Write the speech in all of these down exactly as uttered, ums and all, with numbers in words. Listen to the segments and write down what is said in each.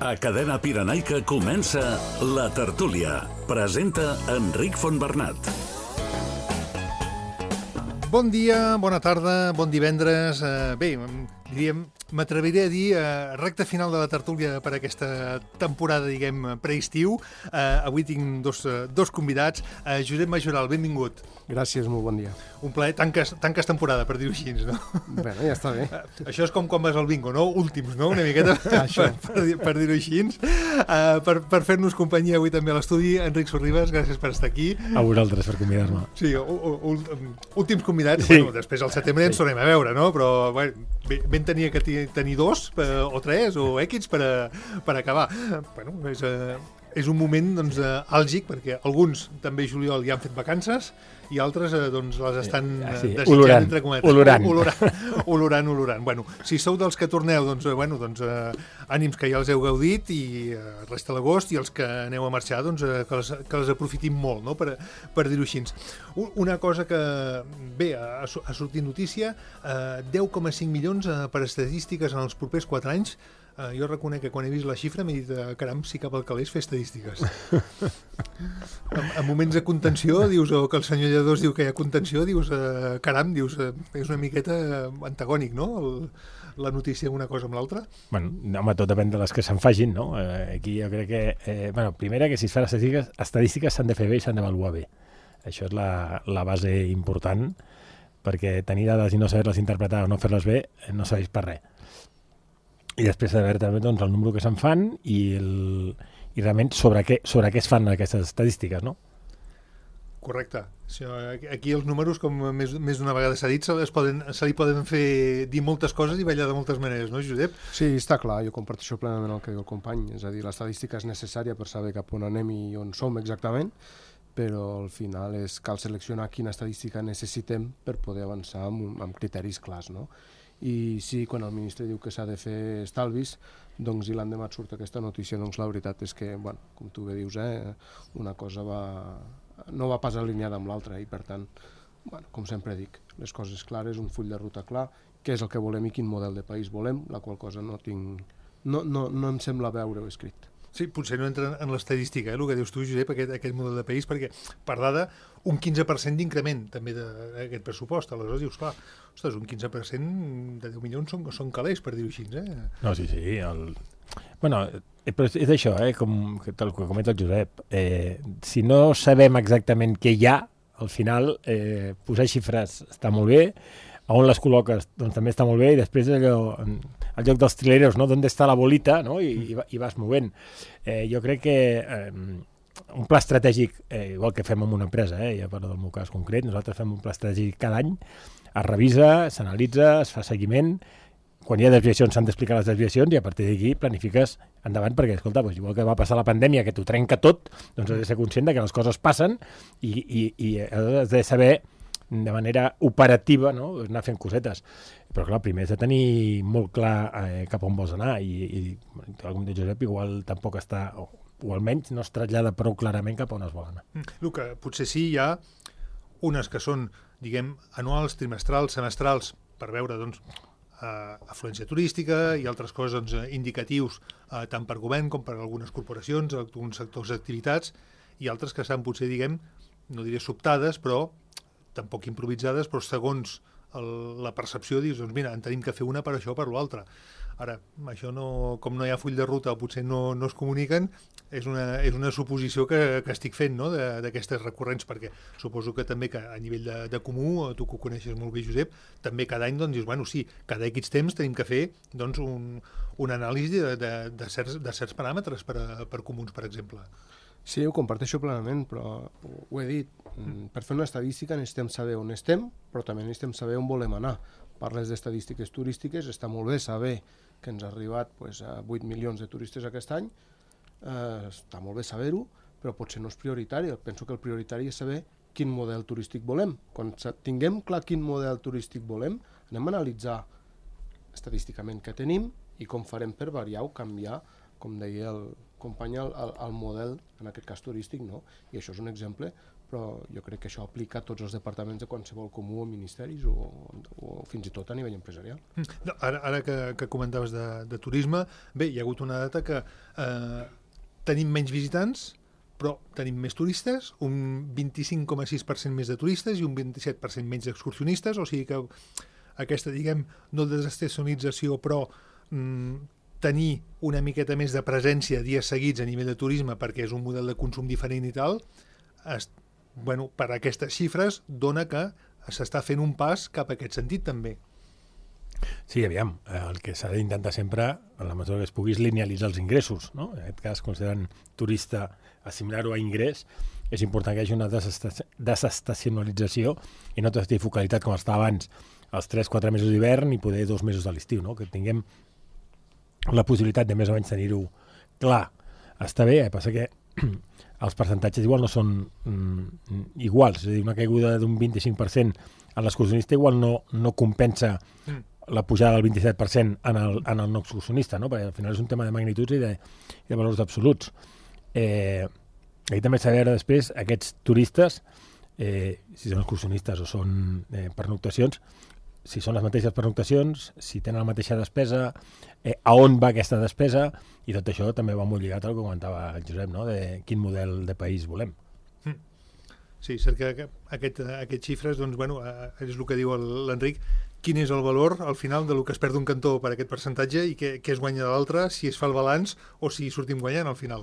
A Cadena Pirenaica comença La Tertúlia. Presenta Enric Fontbernat. Bon dia, bona tarda, bon divendres. Uh, bé, diríem, m'atreviré a dir uh, recta final de la tertúlia per aquesta temporada, diguem, preestiu. Uh, avui tinc dos, uh, dos convidats. Uh, Josep Majoral, benvingut. Gràcies, molt bon dia. Un plaer, tanques, tanques temporada, per dir-ho així, no? Bé, ja està bé. Uh, això és com quan vas al bingo, no? Últims, no? Una miqueta, per, per, dir, per dir-ho així. Uh, per per fer-nos companyia avui també a l'estudi, Enric Sorribas, gràcies per estar aquí. A vosaltres per convidar-me. Sí, últims convidats. Sí. Bueno, després al setembre ens tornem a veure, no? Però bueno, ben tenia que tenir dos o tres o equips per, a, per acabar. Bueno, és, uh, és un moment doncs, uh, àlgic, perquè alguns també juliol ja han fet vacances i altres uh, doncs, les estan uh, sí, desitjant, olorant, entre cometes. Olorant. Olorant, olorant, olorant. Bueno, si sou dels que torneu, doncs, uh, bueno, doncs uh, ànims que ja els heu gaudit i uh, resta l'agost, i els que aneu a marxar, doncs, uh, que, les, que les aprofitin molt, no? per, per dir-ho així. Una cosa que, bé, ha, ha sortit notícia, uh, deu coma cinc milions uh, per estadístiques en els propers quatre anys. Uh, jo reconec que quan he vist la xifra m'he dit, uh, caram, si cap al calés fer estadístiques. en, en moments de contenció, dius, o que el senyor Lledós diu que hi ha contenció, dius, uh, caram, dius, uh, és una miqueta antagònic, no?, el, la notícia una cosa amb l'altra. Bueno, home, tot depèn de les que se'n fagin, no? Eh, aquí jo crec que, eh, bueno, primera, que si es fan estadístiques, estadístiques s'han de fer bé i s'han d'avaluar bé. Això és la, la base important, perquè tenir dades i no saber-les interpretar o no fer-les bé no serveix per res. I després de veure també doncs, el número que se'n fan i, el, i realment sobre què, sobre què es fan aquestes estadístiques, no? Correcte. Aquí els números, com més, més d'una vegada s'ha dit, se, les poden, se li poden fer dir moltes coses i ballar de moltes maneres, no, Josep? Sí, està clar, jo comparteixo plenament el que diu el company, és a dir, l'estadística és necessària per saber cap on anem i on som exactament, però al final és, cal seleccionar quina estadística necessitem per poder avançar amb, amb criteris clars, no? I sí, quan el ministre diu que s'ha de fer estalvis, doncs i l'endemà surt aquesta notícia, doncs la veritat és que, bueno, com tu bé dius, eh, una cosa va, no va pas alineada amb l'altra i per tant, bueno, com sempre dic, les coses clares, un full de ruta clar, què és el que volem i quin model de país volem, la qual cosa no tinc, no, no, no em sembla veure-ho escrit. Sí, potser no entra en l'estadística, eh, el que dius tu, Josep, aquest, aquest model de país, perquè per dada un quinze per cent d'increment també d'aquest pressupost. Aleshores dius, clar, ostres, un quinze per cent de deu milions són, són calés, per dir-ho així, eh? No, sí, sí. El... Bueno, però és això, eh, com el que comenta el Josep. Eh, si no sabem exactament què hi ha, al final eh, posar xifres està molt bé, a on les col·loques doncs també està molt bé, i després allò, al lloc dels trileros, no? D'on està la bolita, no? I, i, i vas movent. Eh, jo crec que eh, un pla estratègic, eh, igual que fem en una empresa, eh, ja parlo del meu cas concret, nosaltres fem un pla estratègic cada any, es revisa, s'analitza, es fa seguiment, quan hi ha desviacions s'han d'explicar les desviacions i a partir d'aquí planifiques endavant, perquè, escolta, doncs, igual que va passar la pandèmia, que t'ho trenca tot, doncs has de ser conscient de que les coses passen i, i, i has de saber de manera operativa, no?, anar fent cosetes. Però clar, primer has de tenir molt clar eh, cap on vols anar i, i com diu Josep, igual tampoc està, o, o almenys no es trasllada prou clarament cap on es vol anar. El que potser sí hi ha unes que són, diguem, anuals, trimestrals, semestrals, per veure, doncs, eh, afluència turística i altres coses doncs, indicatius eh, tant per govern com per algunes corporacions, alguns sectors d'activitats, i altres que estan potser, diguem, no diré sobtades, però tampoc improvisades, però segons el, la percepció dius, doncs mira, en tenim que fer una per això o per l'altra. Ara, això no, com no hi ha full de ruta o potser no, no es comuniquen, és una, és una suposició que, que estic fent, no?, d'aquestes recurrents, perquè suposo que també que a nivell de, de comú, tu que ho coneixes molt bé, Josep, també cada any doncs dius, bueno, sí, cada X temps tenim que fer doncs, un, un anàlisi de, de, de, certs, de certs paràmetres per, a, per comuns, per exemple. Sí, ho comparteixo plenament, però ho he dit, per fer una estadística necessitem saber on estem, però també necessitem saber on volem anar. Parles d'estadístiques turístiques, està molt bé saber que ens ha arribat pues, a vuit milions de turistes aquest any, eh, està molt bé saber-ho, però potser no és prioritari. Penso que el prioritari és saber quin model turístic volem. Quan tinguem clar quin model turístic volem, anem a analitzar estadísticament què tenim i com farem per variar o canviar, com deia el company, el, el model, en aquest cas turístic, no? I això és un exemple però jo crec que això aplica a tots els departaments de qualsevol comú o ministeris o, o fins i tot a nivell empresarial. No, ara ara que, que comentaves de, de turisme, bé, hi ha hagut una data que eh, tenim menys visitants, però tenim més turistes, un vint-i-cinc coma sis per cent més de turistes i un vint-i-set per cent menys d'excursionistes, o sigui que aquesta, diguem, no desestacionalització, però mm, tenir una miqueta més de presència dies seguits a nivell de turisme perquè és un model de consum diferent i tal, es, bueno, per aquestes xifres dona que s'està fent un pas cap a aquest sentit també. Sí, aviam, el que s'ha d'intentar sempre, en la mesura que es pugui, és linealitzar els ingressos, no? En aquest cas, considerant turista, assimilar-ho a ingrés, és important que hi hagi una desestacionalització i no tota focalitat com estava abans, els tres quatre mesos d'hivern i poder dos mesos de l'estiu, no? Que tinguem la possibilitat de més o menys tenir-ho clar. Està bé, eh? Passa que els percentatges igual no són mm, iguals, és a dir, una caiguda d'un vint-i-cinc per cent a l'excursionista igual no, no compensa mm. la pujada del vint-i-set per cent en el, en el no excursionista, no? Perquè al final és un tema de magnituds i de, i de valors absoluts. Eh, aquí també s'ha de veure després aquests turistes, eh, si són excursionistes o són eh, pernoctacions, si són les mateixes pernoctacions, si tenen la mateixa despesa, eh, a on va aquesta despesa, i tot això també va molt lligat al que comentava el Josep, no? De quin model de país volem. Mm. Sí, cert que aquest, aquests xifres, doncs, bueno, és el que diu l'Enric, quin és el valor al final del que es perd un cantó per aquest percentatge i què, què es guanya de l'altre, si es fa el balanç o si sortim guanyant al final.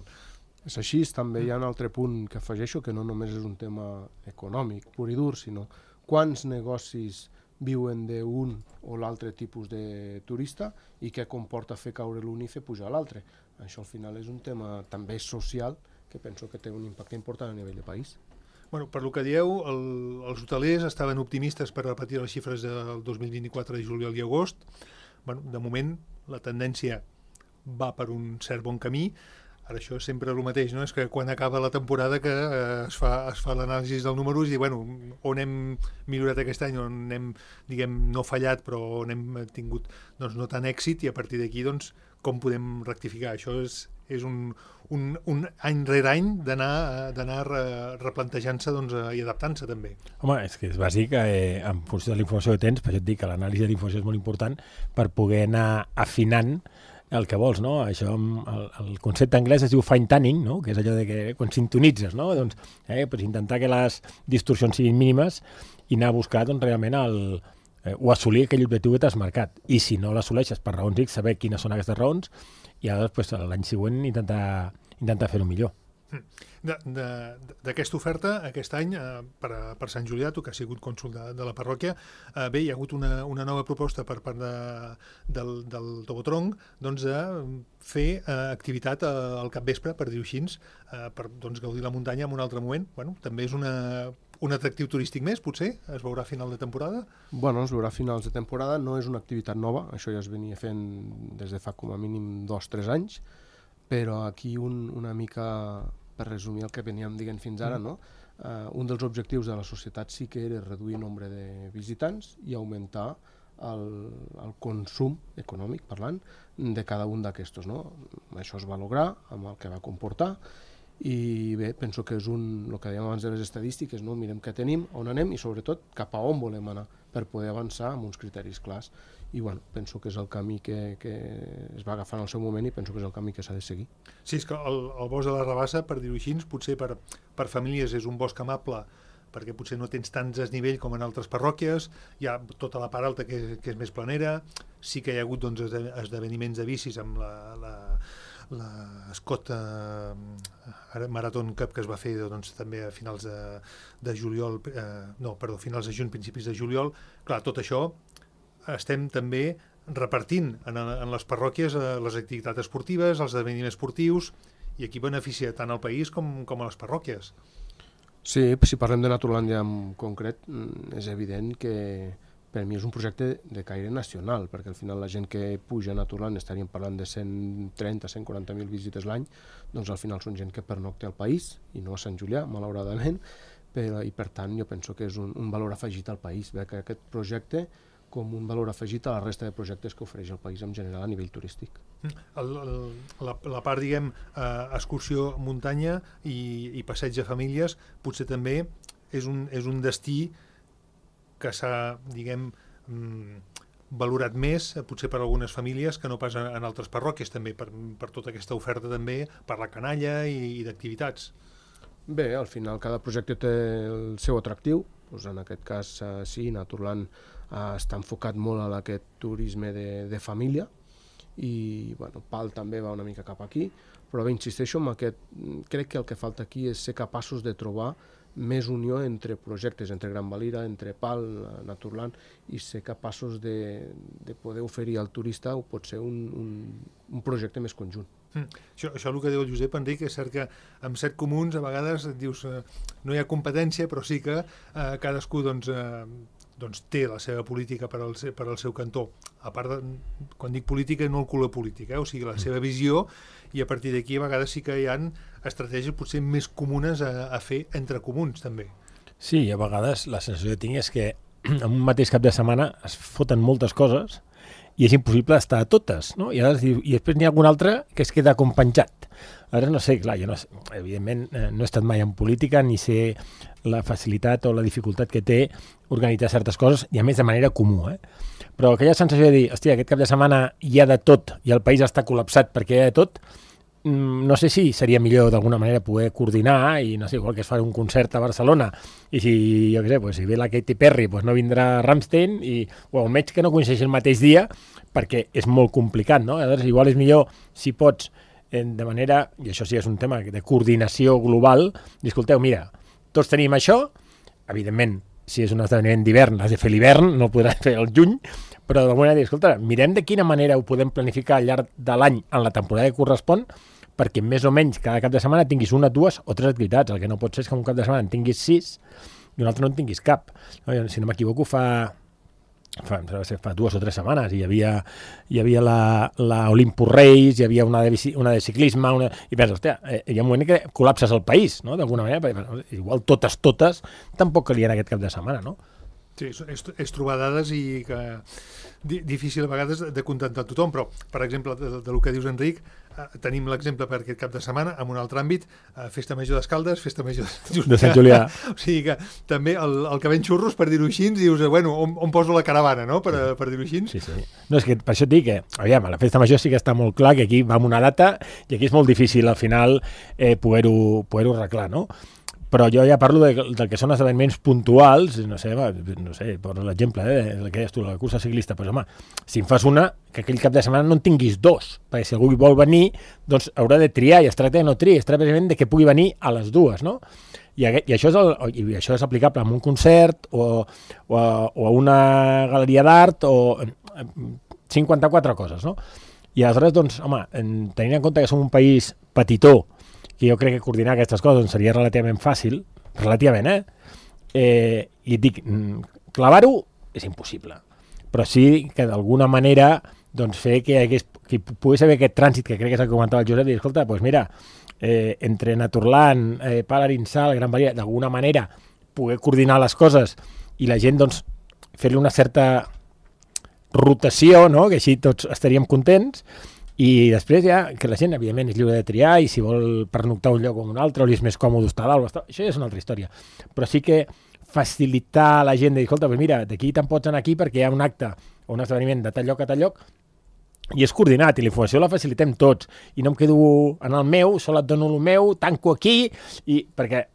És així, també hi ha un altre punt que afegeixo, que no només és un tema econòmic pur i dur, sinó quants negocis viuen d'un o l'altre tipus de turista i què comporta fer caure l'un i fer pujar l'altre. Això al final és un tema també social que penso que té un impacte important a nivell de país. Bueno, per lo que dieu, el, els hotelers estaven optimistes per repetir les xifres del dos mil vint-i-quatre de juliol i agost. Bueno, de moment la tendència va per un cert bon camí. Ara això és sempre el mateix, no? És que quan acaba la temporada que eh, es fa, es fa l'anàlisi dels números i, bueno, on hem millorat aquest any, on hem, diguem, no fallat, però on hem tingut, doncs, no tant èxit, i a partir d'aquí, doncs, com podem rectificar? Això és, és un, un, un any rere any d'anar d'anar replantejant-se, doncs, i adaptant-se també. Home, és que és bàsic, eh, en funció de la informació que tens, per això et dic que l'anàlisi de la informació és molt important per poder anar afinant el que vols, no? Això, el, el concepte anglès es diu fine tuning, no? Que és allò de que quan sintonitzes, no? Doncs, eh, pues intentar que les distorsions siguin mínimes i anar a buscar, doncs, realment el, eh, o assolir aquell objectiu que t'has marcat. I si no l'assoleixes per raons X, saber quines són aquestes raons i llavors, pues, l'any següent intentar, intentar fer-ho millor. D'aquesta oferta, aquest any, eh, per, per Sant Julià, tu que has sigut cònsol de, de la parròquia, eh, bé, hi ha hagut una, una nova proposta per part de, del, del Tobotronc, doncs, de fer eh, activitat al capvespre, per dir-ho així, eh, per, doncs, gaudir la muntanya en un altre moment. Bueno, també és una, un atractiu turístic més, potser? Es veurà a final de temporada? Bueno, es veurà a finals de temporada, no és una activitat nova, això ja es venia fent des de fa com a mínim dos o tres anys, però aquí un, una mica, per resumir el que veníem dient fins ara, no? Uh, un dels objectius de la societat sí que era reduir el nombre de visitants i augmentar el, el consum econòmic, parlant, de cada un d'aquestos, no? Això es va lograr amb el que va comportar i bé, penso que és un, el que dèiem abans de les estadístiques, no? Mirem què tenim, on anem i sobretot cap a on volem anar per poder avançar amb uns criteris clars. I bueno, penso que és el camí que, que es va agafar en el seu moment i penso que és el camí que s'ha de seguir. Sí, és que el, el bosc de la Rabassa, per dir-ho així, potser per, per famílies és un bosc amable perquè potser no tens tants desnivell com en altres parròquies, hi ha tota la part alta que, que és més planera, sí que hi ha hagut, doncs, esdeveniments de bicis amb la, la, la Scott eh, Marathon Cup que es va fer, doncs, també a finals de, de juliol, eh, no, perdó, finals de juny, principis de juliol. Clar, tot això estem també repartint en, en les parròquies eh, les activitats esportives, els esdeveniments esportius, i aquí beneficia tant al país com, com a les parròquies. Sí, si parlem de Naturlàndia en concret, és evident que per mi és un projecte de caire nacional, perquè al final la gent que puja a Naturlàndia, estaríem parlant de cent trenta a cent quaranta mil visites l'any, doncs al final són gent que pernocta al país, i no a Sant Julià, malauradament, però, i per tant jo penso que és un, un valor afegit al país, bé, que aquest projecte com un valor afegit a la resta de projectes que ofereix el país en general a nivell turístic. El, el, la, la part, diguem, eh, excursió muntanya i, i passeig de famílies potser també és un, és un destí que s'ha, diguem, mm, valorat més, potser per algunes famílies, que no pas en, en altres parròquies, també, per, per tota aquesta oferta també, per la canalla i, i d'activitats. Bé, al final cada projecte té el seu atractiu, doncs en aquest cas eh, sí, Naturland eh, està enfocat molt a aquest turisme de, de família, i bueno, Pal també va una mica cap aquí, però bé, insisteixo en aquest, crec que el que falta aquí és ser capaços de trobar més unió entre projectes, entre Gran Valira, entre Pal, Naturland, i ser capaços de, de poder oferir al turista o pot ser un, un, un projecte més conjunt. Mm. Això, això el que diu el Josep Enric és cert que amb set comuns a vegades dius eh, no hi ha competència, però sí que eh, cadascú doncs, eh, doncs té la seva política per al, per al seu cantó. A part, de, quan dic política, no el color polític, eh? O sigui, la seva visió, i a partir d'aquí a vegades sí que hi ha estratègies potser més comunes a, a fer entre comuns, també. Sí, a vegades la sensació que tinc és que en un mateix cap de setmana es foten moltes coses i és impossible estar a totes, no? I, ara, i després n'hi ha algun altre que es queda com penjat. Ara no sé, clar, jo no sé, evidentment no he estat mai en política ni sé la facilitat o la dificultat que té organitzar certes coses, i a més de manera comú, eh? Però aquella sensació de dir, hòstia, aquest cap de setmana hi ha de tot i el país està col·lapsat perquè hi ha de tot, no sé si seria millor d'alguna manera poder coordinar i no sé, igual que es fa un concert a Barcelona i si, jo què sé, pues, si ve la Katy Perry pues no vindrà Rammstein i, o almenys que no coincideixi el mateix dia perquè és molt complicat, no? Llavors igual és millor si pots de manera, i això sí és un tema de coordinació global, dir, escolteu, mira, tots tenim això, evidentment si és un esdeveniment d'hivern l'has de fer l'hivern, no podràs fer el juny, però d'alguna manera dir, escolta, mirem de quina manera ho podem planificar al llarg de l'any en la temporada que correspon, perquè més o menys cada cap de setmana tinguis una, dues o tres activitats. El que no pot ser és que un cap de setmana en tinguis sis i un altre no en tinguis cap. No, si no m'equivoco, fa, fa, fa dues o tres setmanes hi havia, hi havia la, la Olympus Race, hi havia una de, bici, una de ciclisme, una, i penses, hòstia, eh, hi ha un moment que col·lapses el país, no?, d'alguna manera, perquè bueno, igual totes, totes, tampoc calien aquest cap de setmana, no? Sí, és, és trobar dades i que di, difícil a vegades de contentar tothom, però, per exemple, de, de lo que dius, Enric, eh, tenim l'exemple per aquest cap de setmana, en un altre àmbit, eh, Festa Major d'Escaldes, Festa Major de, de Sant Julià. O sigui que també el, el que ven xurros, per dir-ho així, dius, bueno, on, on poso la caravana, no?, per, per dir-ho així. Sí, sí. No, és que per això et dic que, aviam, a la Festa Major sí que està molt clar que aquí va amb una data i aquí és molt difícil, al final, eh, poder-ho poder-ho arreglar, no? Però jo ja parlo de, del que són esdeveniments puntuals, no sé, va, no sé, per l'exemple, eh, el que deies tu, la cursa ciclista, doncs home, si en fas una, que aquell cap de setmana no en tinguis dos, perquè si algú vol venir, doncs haurà de triar, i es tracta de no triar, es tracta precisament de que pugui venir a les dues, no? I, i, això, és el, i això és aplicable a un concert o, o, a, o a una galeria d'art o cinquanta-quatre coses, no? I aleshores, doncs, home, tenint en compte que som un país petitó, que jo crec que coordinar aquestes coses seria relativament fàcil, relativament, eh? eh I et dic, clavar-ho és impossible, però sí que d'alguna manera doncs, fer que, hagués, que pogués haver aquest trànsit, que crec que és el que comentava el Josep, i dir, escolta, doncs mira, eh, entre Naturland, eh, Pal Arinsal, Gran Valira, d'alguna manera poder coordinar les coses i la gent doncs, fer-li una certa rotació, no?, que així tots estaríem contents. I després ja, que la gent, evidentment, és lliure de triar i si vol pernoctar un lloc o un altre o li és més còmode estar dalt, estar... això ja és una altra història. Però sí que facilitar a la gent de dir, escolta, pues mira, d'aquí te'n pots anar aquí perquè hi ha un acte o un esdeveniment de tal lloc a tal lloc i és coordinat i la informació la facilitem tots i no em quedo en el meu, sol et dono el meu, tanco aquí, i perquè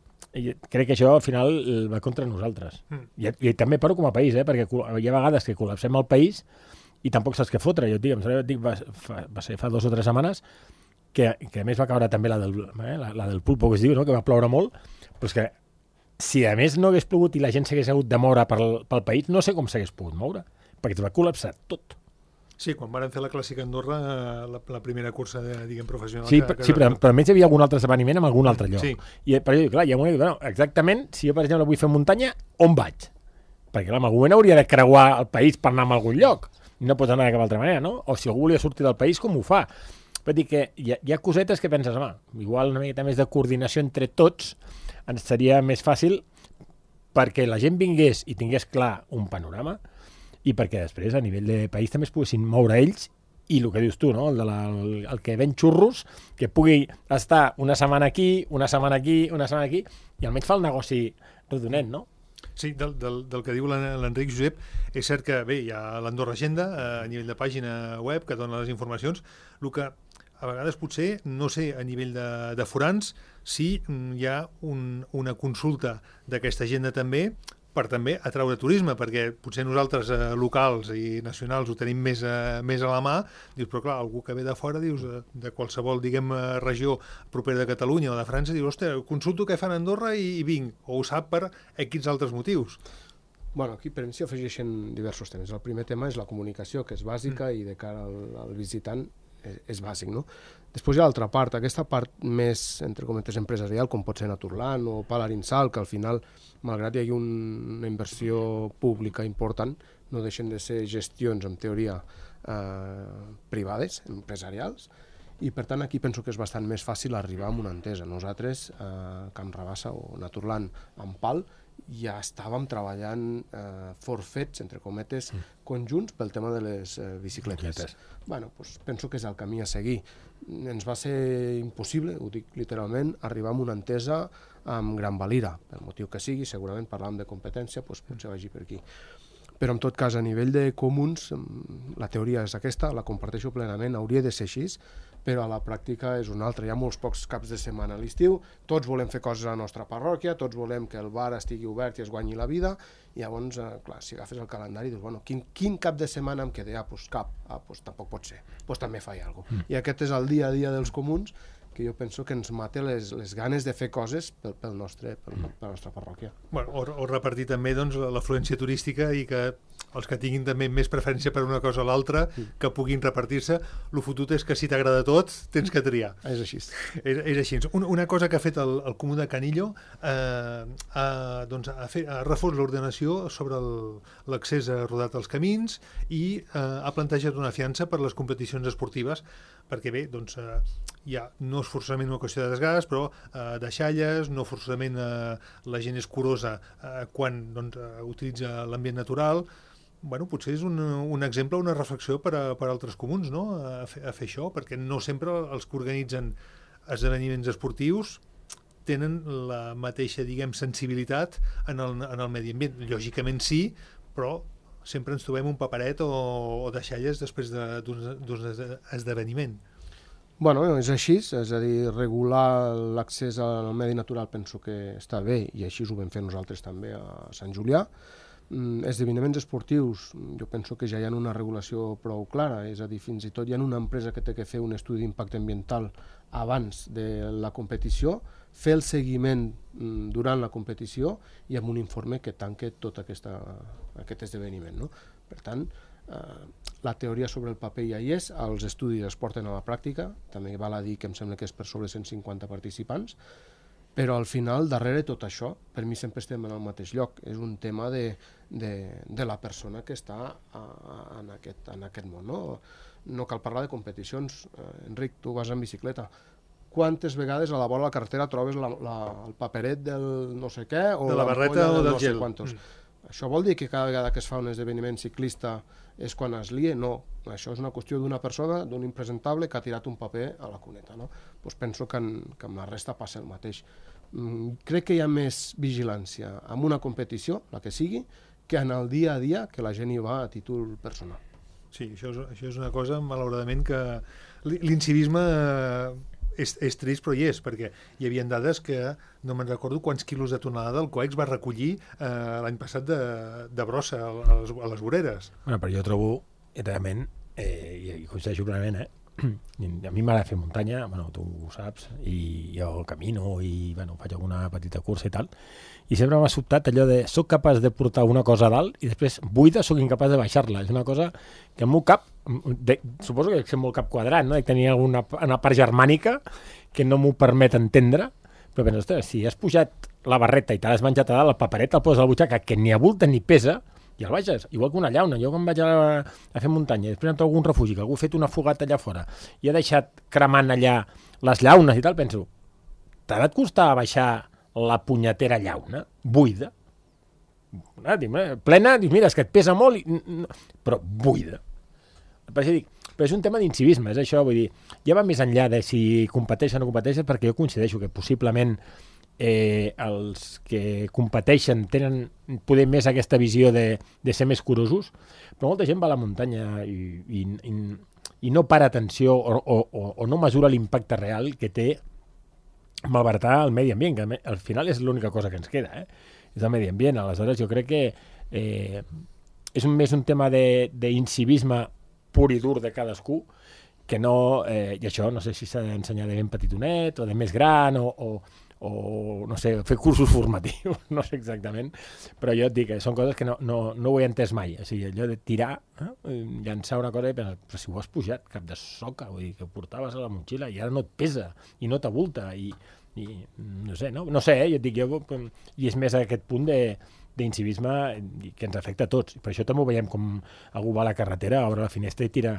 crec que això al final va contra nosaltres. Mm. I, I també parlo com a país, eh? Perquè hi ha vegades que col·lapsem el país i tampoc saps què fotre. Jo et dic, em dic va, fa, va ser fa dues o tres setmanes que, que a més va caure també la del, eh, la, la del pulpo, que es diu, no?, que va ploure molt, però és que si a més no hagués plogut i la gent s'hagués hagut de moure pel, pel país, no sé com s'hagués pogut moure, perquè es va col·lapsar tot. Sí, quan van fer la Clàssica Andorra, la, la primera cursa de, diguem, professional... Sí, que, per, que... sí però, però almenys hi havia algun altre esdeveniment en algun altre lloc. Sí. I per això, clar, hi ha un... Bueno, exactament, si jo, per exemple, vull fer muntanya, on vaig? Perquè, clar, en algun moment hauria de creuar el país per anar a algun lloc. No pots anar de cap altra manera, no? O si algú volia sortir del país, com ho fa? Vull dir que hi ha, hi ha cosetes que penses, home, igual una miqueta més de coordinació entre tots ens seria més fàcil perquè la gent vingués i tingués clar un panorama i perquè després a nivell de país també es poguessin moure ells i el que dius tu, no? el, de la, el, el que ven xurros, que pugui estar una setmana aquí, una setmana aquí, una setmana aquí, i almenys fa el negoci rodonet, no? Sí, del, del, del que diu l'Enric, Josep, és cert que bé, hi ha l'Andorra Agenda a nivell de pàgina web que dona les informacions, el que a vegades potser, no sé, a nivell de, de forans, si hi ha un, una consulta d'aquesta agenda també per també atraure turisme, perquè potser nosaltres eh, locals i nacionals ho tenim més a, més a la mà, dius, però clar, algú que ve de fora, dius, de, de qualsevol, diguem, regió propera de Catalunya o de França, dius, ostres, consulto què fan a Andorra i, i vinc, o ho sap per X altres motius. Bueno, aquí per mi s'hi afegeixen diversos temes. El primer tema és la comunicació, que és bàsica mm. i de cara al, al visitant és, és bàsic, no? Després hi ha l'altra part, aquesta part més, entre cometes, empresarial, com pot ser Naturland o Palarinsal, que al final, malgrat hi hagi un, una inversió pública important, no deixen de ser gestions, en teoria, eh, privades, empresarials, i per tant aquí penso que és bastant més fàcil arribar a una entesa. Nosaltres, eh, Camp Rabassa o Naturland, amb Pal, ja estàvem treballant eh, forfets, entre cometes, mm. conjunts pel tema de les eh, bicicletes. Bueno, pues, penso que és el camí a seguir. Ens va ser impossible, ho dic literalment, arribar a una entesa amb Gran Valira, pel motiu que sigui, segurament parlàvem de competència, doncs potser vagi per aquí. Però en tot cas, a nivell de comuns, la teoria és aquesta, la comparteixo plenament, hauria de ser així, però a la pràctica és una altra. Hi ha molts pocs caps de setmana a l'estiu, tots volem fer coses a la nostra parròquia, tots volem que el bar estigui obert i es guanyi la vida, i llavors, eh, clar, si agafes el calendari, dius, bueno, quin, quin cap de setmana em queda? Ah, doncs cap, ah, doncs tampoc pot ser, doncs també faig alguna cosa. Mm. I aquest és el dia a dia dels comuns, que jo penso que ens mata les, les ganes de fer coses pel, pel nostre, pel, per la nostra parròquia. Bueno, o, o repartir també doncs, l'afluència turística i que els que tinguin també més preferència per una cosa o l'altra, mm. que puguin repartir-se. El fotut és que si t'agrada tot, tens que triar. És així. És, és així. Una, una cosa que ha fet el, el Comú de Canillo eh, ha, doncs, ha, fet, ha refós l'ordenació sobre l'accés a rodat als camins i eh, ha plantejat una fiança per les competicions esportives, perquè bé, doncs, eh, ja no és forçament una qüestió de desgast, però eh, deixalles, no forçament eh, la gent és curosa eh, quan doncs, eh, utilitza l'ambient natural. Bueno, potser és un, un exemple, una reflexió per a, per a altres comuns, no?, a fer, a fer això, perquè no sempre els que organitzen esdeveniments esportius tenen la mateixa, diguem, sensibilitat en el, en el medi ambient. Lògicament sí, però sempre ens trobem un paperet o, o deixalles després d'un esdeveniment. Bueno, és així, és a dir, regular l'accés al medi natural penso que està bé, i així ho vam fer nosaltres també a Sant Julià. Mm, esdeveniments esportius, jo penso que ja hi ha una regulació prou clara, és a dir, fins i tot hi ha una empresa que té que fer un estudi d'impacte ambiental abans de la competició, fer el seguiment mm, durant la competició i amb un informe que tanque tot aquesta, aquest esdeveniment, no? Per tant, eh, la teoria sobre el paper ja hi és, els estudis es porten a la pràctica, també val a dir que em sembla que és per sobre cent cinquanta participants, però al final, darrere tot això, per mi sempre estem en el mateix lloc, és un tema de, de, de la persona que està a, a, en, aquest, en aquest món. No? No cal parlar de competicions. Eh, Enric, tu vas en bicicleta. Quantes vegades a la vora de la carretera trobes la, la, el paperet del no sé què o de la barreta o del no gel? Mm. Això vol dir que cada vegada que es fa un esdeveniment ciclista és quan es lia? No. Això és una qüestió d'una persona, d'un impresentable que ha tirat un paper a la cuneta. No? Pues penso que, en, que amb la resta passa el mateix. Mm, crec que hi ha més vigilància en una competició, la que sigui, que en el dia a dia que la gent hi va a títol personal. Sí, això és, això és una cosa, malauradament, que l'incivisme és, és trist, però hi és, perquè hi havia dades que no me'n recordo quants quilos de tonelada el COEX va recollir eh, l'any passat de, de brossa a les, a les voreres. Bueno, però jo trobo, realment, eh, i coincideixo plenament, eh? A mi m'agrada fer muntanya, bueno, tu ho saps, i jo camino i bueno, faig alguna petita cursa i tal, i sempre m'ha sobtat allò de soc capaç de portar una cosa a dalt i després buida soc incapaç de baixar-la. És una cosa que el meu cap, de, suposo que és molt cap quadrat, no? He de tenir alguna una part germànica que no m'ho permet entendre, però penso, ostres, si has pujat la barreta i t'has menjat a dalt, el paperet el poses a la butxaca, que ni avulta ni pesa, i el baixes, igual que una llauna. Jo quan vaig a, a fer muntanya, després em trobo algun refugi, que algú ha fet una fogata allà fora i ha deixat cremant allà les llaunes i tal, penso, t'ha de costar baixar la punyetera llauna, buida, plena, dius, mira, és que et pesa molt, i, però buida. Per això dic, Però és un tema d'incivisme, és això, vull dir, ja va més enllà de si competeixen o no competeixen, perquè jo coincideixo que possiblement eh, els que competeixen tenen poder més aquesta visió de, de ser més curosos, però molta gent va a la muntanya i, i, i, i no para atenció o, o, o no mesura l'impacte real que té malbaratar el medi ambient, que al final és l'única cosa que ens queda, eh? És el medi ambient. Aleshores, jo crec que eh, és un, més un tema d'incivisme pur i dur de cadascú, que no, eh, i això no sé si s'ha d'ensenyar de ben petitonet o de més gran o, o, o no sé, fer cursos formatius, no sé exactament, però jo et dic que són coses que no, no, no ho he entès mai. O sigui, allò de tirar, eh, llançar una cosa i pensar, però si ho has pujat cap de soca, vull dir, que ho portaves a la motxilla i ara no et pesa i no t'avulta i, i no sé, no, no sé, eh, jo et dic, jo, i és més a aquest punt de d'incivisme que ens afecta a tots. Per això també ho veiem com algú va a la carretera, obre la finestra i tira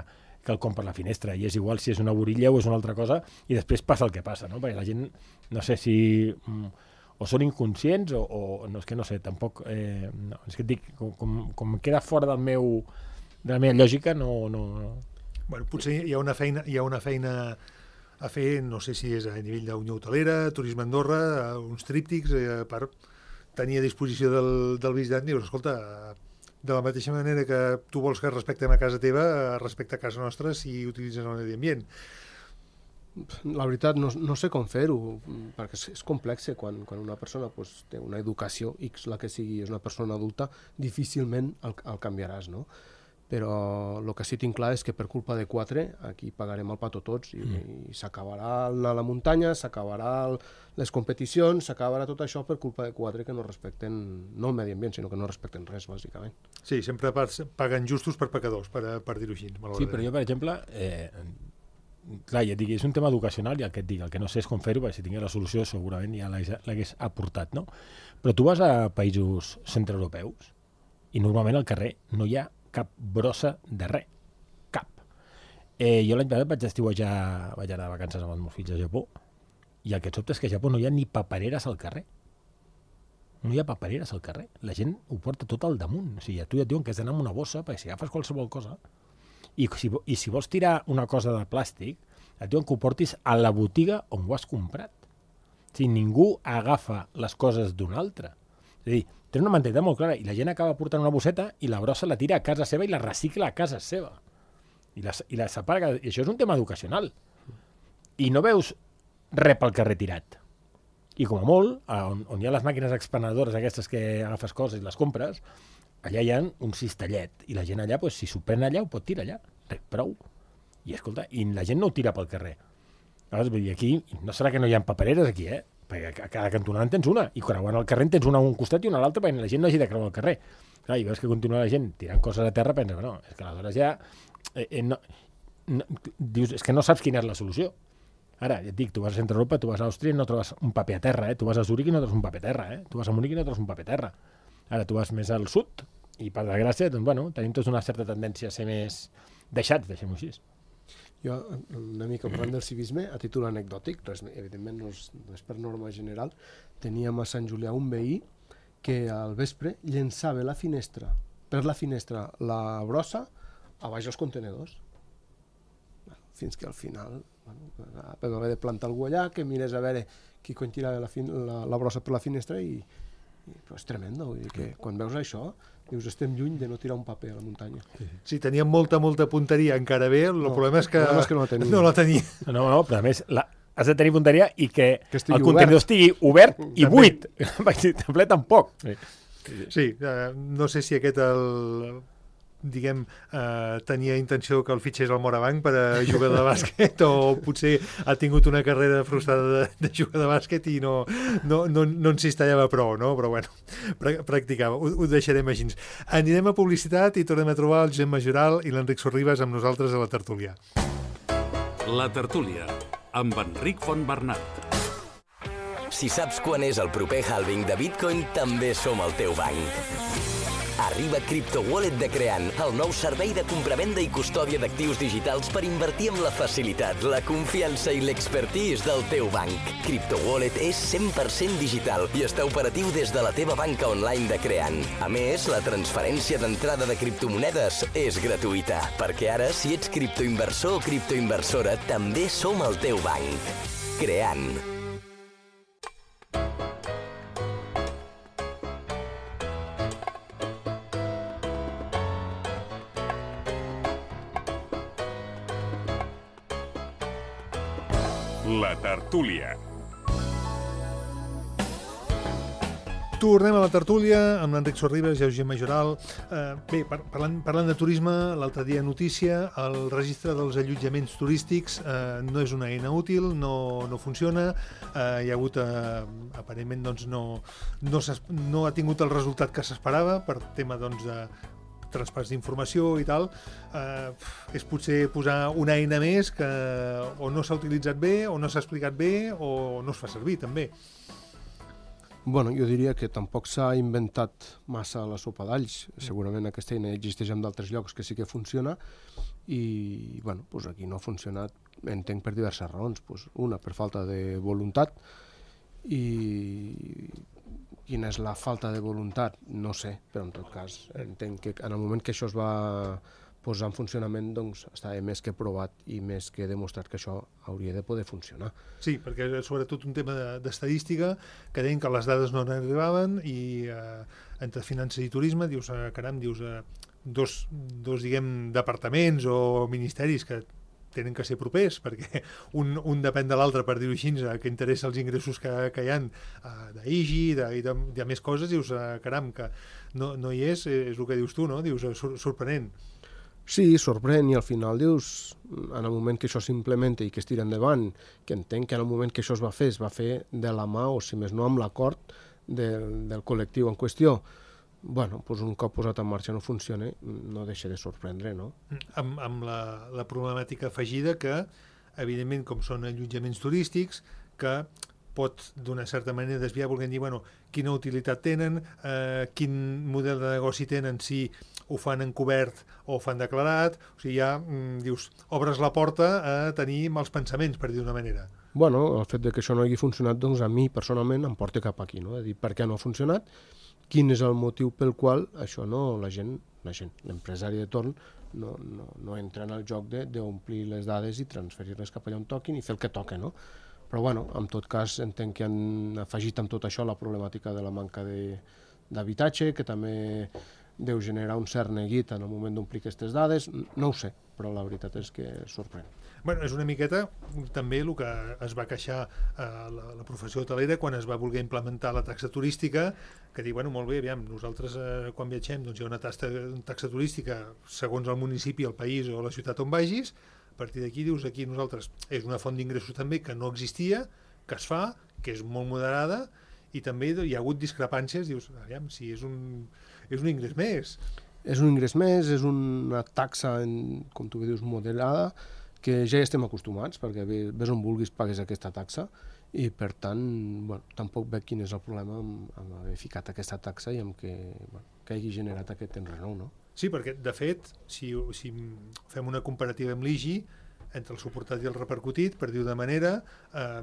quelcom per la finestra, i és igual si és una borilla o és una altra cosa, i després passa el que passa, no? Perquè la gent, no sé si o són inconscients o, o no, és que no sé, tampoc eh, no, és que et dic, com, com, com queda fora del meu, de la meva lògica, no, no, no. Bueno, potser hi ha una feina, hi ha una feina a fer, no sé si és a nivell d'Unió Hotelera, Turisme Andorra, uns tríptics eh, per tenir a disposició del, del visitant, dius, escolta, de la mateixa manera que tu vols que respectem a casa teva, respecta a casa nostra si utilitzes el medi ambient. La veritat, no, no sé com fer-ho, perquè és, és complex. Quan, quan una persona pues, té una educació, X la que sigui, és una persona adulta, difícilment el, el canviaràs, no? Però el que sí tinc clar és que per culpa de quatre aquí pagarem el pato tots i, mm. i s'acabarà a la muntanya, s'acabarà les competicions, s'acabarà tot això per culpa de quatre que no respecten, no el medi ambient, sinó que no respecten res, bàsicament. Sí, sempre paguen justos per pecadors, per, per dir-ho així. Sí, però jo, per exemple, eh, clar, ja et dic, és un tema educacional, i el que et dic, el que no sé és com fer-ho, perquè si tingués la solució segurament ja l'hagués aportat, no? Però tu vas a països centreeuropeus i normalment al carrer no hi ha cap brossa de res, cap. Eh, jo l'any passat vaig estiuejar, vaig anar de vacances amb els meus fills a Japó, i el que et sobta és que a Japó no hi ha ni papereres al carrer. No hi ha papereres al carrer. La gent ho porta tot al damunt. O sigui, a tu ja et diuen que has d'anar amb una bossa, perquè si agafes qualsevol cosa, i si, i si vols tirar una cosa de plàstic, et diuen que ho portis a la botiga on ho has comprat. O sigui, ningú agafa les coses d'un altre. És a dir, té una mentalitat molt clara, i la gent acaba portant una bosseta i la brossa la tira a casa seva i la recicla a casa seva. I la, i la separa, i això és un tema educacional. I no veus res pel carrer tirat. I com a molt, on, on hi ha les màquines expenedores aquestes que agafes coses i les compres, allà hi ha un cistellet, i la gent allà, pues, si s'ho pren allà, ho pot tirar allà. Res, prou. I escolta, i la gent no ho tira pel carrer. Llavors, vull dir, aquí, no serà que no hi ha papereres aquí, eh? Perquè a cada cantonada en tens una, i creuant el carrer en tens una a un costat i una a l'altre, perquè la gent no hagi de creuar el carrer. Clar, i veus que continua la gent tirant coses a terra, pensa que no, és que aleshores ja eh, eh, no, no, dius, és que no saps quina és la solució. Ara, ja et dic, tu vas a Centre Europa, tu vas a Àustria i no trobes un paper a terra, eh? Tu vas a Zúrich i no trobes un paper a terra, eh? Tu vas a Múnich i no trobes un paper a terra. Ara tu vas més al sud, i per desgràcia, doncs, bueno, tenim tots una certa tendència a ser més deixats, deixem-ho així. Jo, una mica parlant del civisme, a títol anecdòtic, res, evidentment no és, no és per norma general, teníem a Sant Julià un veí que al vespre llençava la finestra, per la finestra la brossa a baix els contenedors. Bueno, fins que al final bueno, vam haver de plantar algú allà, que mires a veure qui quan tirava la, la, la brossa per la finestra i, i però és tremendo, vull dir que quan veus això dius, estem lluny de no tirar un paper a la muntanya. Si teníem molta, molta punteria encara bé, el no, problema és que, problema és que no, la tenia. no la tenia. No, no, però a més, la, has de tenir punteria i que, que el contenidor estigui obert i També. buit. Perquè ple tampoc. Sí, sí eh, no sé si aquest el... diguem, eh, tenia intenció que el fitxés al Morabanc per a jugar de bàsquet o potser ha tingut una carrera frustrada de, de jugar de bàsquet i no, no, no, no en cistellava prou, no? Però bueno, practicava, ho, ho deixarem així. Anirem a publicitat i tornem a trobar el Josep Majoral i l'Enric Sorribas amb nosaltres a la tertúlia. La tertúlia, amb Enric Fontbernat. Si saps quan és el proper halving de Bitcoin, també som el teu banc. Arriba Crypto Wallet de Creant, el nou servei de compravenda i custòdia d'actius digitals per invertir amb la facilitat, la confiança i l'expertise del teu banc. Crypto Wallet és cent per cent digital i està operatiu des de la teva banca online de Creant. A més, la transferència d'entrada de criptomonedes és gratuïta, perquè ara, si ets criptoinversor o criptoinversora, també som el teu banc. Creant. La tertúlia. Tornem a la tertúlia amb l'Enric Sorribes i Eugeni Majoral. Eh, bé, par parlant, parlant de turisme, l'altre dia notícia, el registre dels allotjaments turístics eh, no és una eina útil, no, no funciona, eh, hi ha hagut, eh, aparentment, doncs, no, no, no ha tingut el resultat que s'esperava per tema, doncs, de traspàs d'informació i tal. Eh, és potser posar una eina més que o no s'ha utilitzat bé, o no s'ha explicat bé, o no es fa servir, també. Bueno, jo diria que tampoc s'ha inventat massa la sopa d'alls. Segurament aquesta eina existeix en d'altres llocs que sí que funciona i, bueno, doncs aquí no ha funcionat, entenc, per diverses raons. Pues una, per falta de voluntat, i quina és la falta de voluntat, no sé, però en tot cas entenc que en el moment que això es va posar en funcionament, doncs estava més que provat i més que demostrat que això hauria de poder funcionar. Sí, perquè és sobretot un tema d'estadística, que deien que les dades no n'arribaven i eh, entre finances i turisme, dius, eh, caram, dius, eh, dos, dos, diguem, departaments o ministeris que tenen que ser propers, perquè un, un depèn de l'altre, per dir-ho així, que interessa els ingressos que, que hi ha uh, d'I G I de, i de, de més coses, dius, uh, caram, que no, no hi és, és el que dius tu, no? Dius, sor sorprenent. Sí, sorprèn, i al final dius, en el moment que això s'implementa i que es tira endavant, que entenc que en el moment que això es va fer, es va fer de la mà, o si més no amb l'acord del, del col·lectiu en qüestió. Bueno, doncs un cop posat en marxa no funciona, no deixa de sorprendre, no? Amb, amb la, la problemàtica afegida que, evidentment, com són allotjaments turístics, que pot d'una certa manera desviar, volent dir, bueno, quina utilitat tenen, eh, quin model de negoci tenen, si ho fan encobert o ho fan declarat, o sigui, ja, mm, dius, obres la porta a tenir mals pensaments, per dir d'una manera. Bueno, el fet de que això no hagi funcionat, doncs a mi, personalment, em porta cap aquí, no? De dir, per què no ha funcionat, quin és el motiu pel qual això no, la gent, la gent, l'empresari de torn, no, no, no entra en el joc d'omplir les dades i transferir-les cap allà on toquin i fer el que toca, no? Però, bueno, en tot cas, entenc que han afegit amb tot això la problemàtica de la manca d'habitatge, que també deu generar un cert neguit en el moment d'omplir aquestes dades, no ho sé, però la veritat és que sorprèn. Bueno, és una miqueta també el que es va queixar eh, la, la professió hotelera quan es va voler implementar la taxa turística, que diu, bueno, molt bé, aviam, nosaltres eh, quan viatgem doncs hi ha una taxa, una taxa turística segons el municipi, el país o la ciutat on vagis, a partir d'aquí dius, aquí nosaltres és una font d'ingressos també que no existia, que es fa, que és molt moderada, i també hi ha hagut discrepàncies, dius, aviam, si és un, és un ingrés més. És un ingrés més, és una taxa, en, com tu bé dius, moderada, que ja hi estem acostumats, perquè ves on vulguis pagues aquesta taxa, i per tant, bueno, tampoc veig quin és el problema amb, amb haver ficat aquesta taxa i amb que, bueno, que hagi generat aquest enrenou, no? Sí, perquè, de fet, si, si fem una comparativa amb l'I G I, entre el suportat i el repercutit, per dir-ho de manera, eh,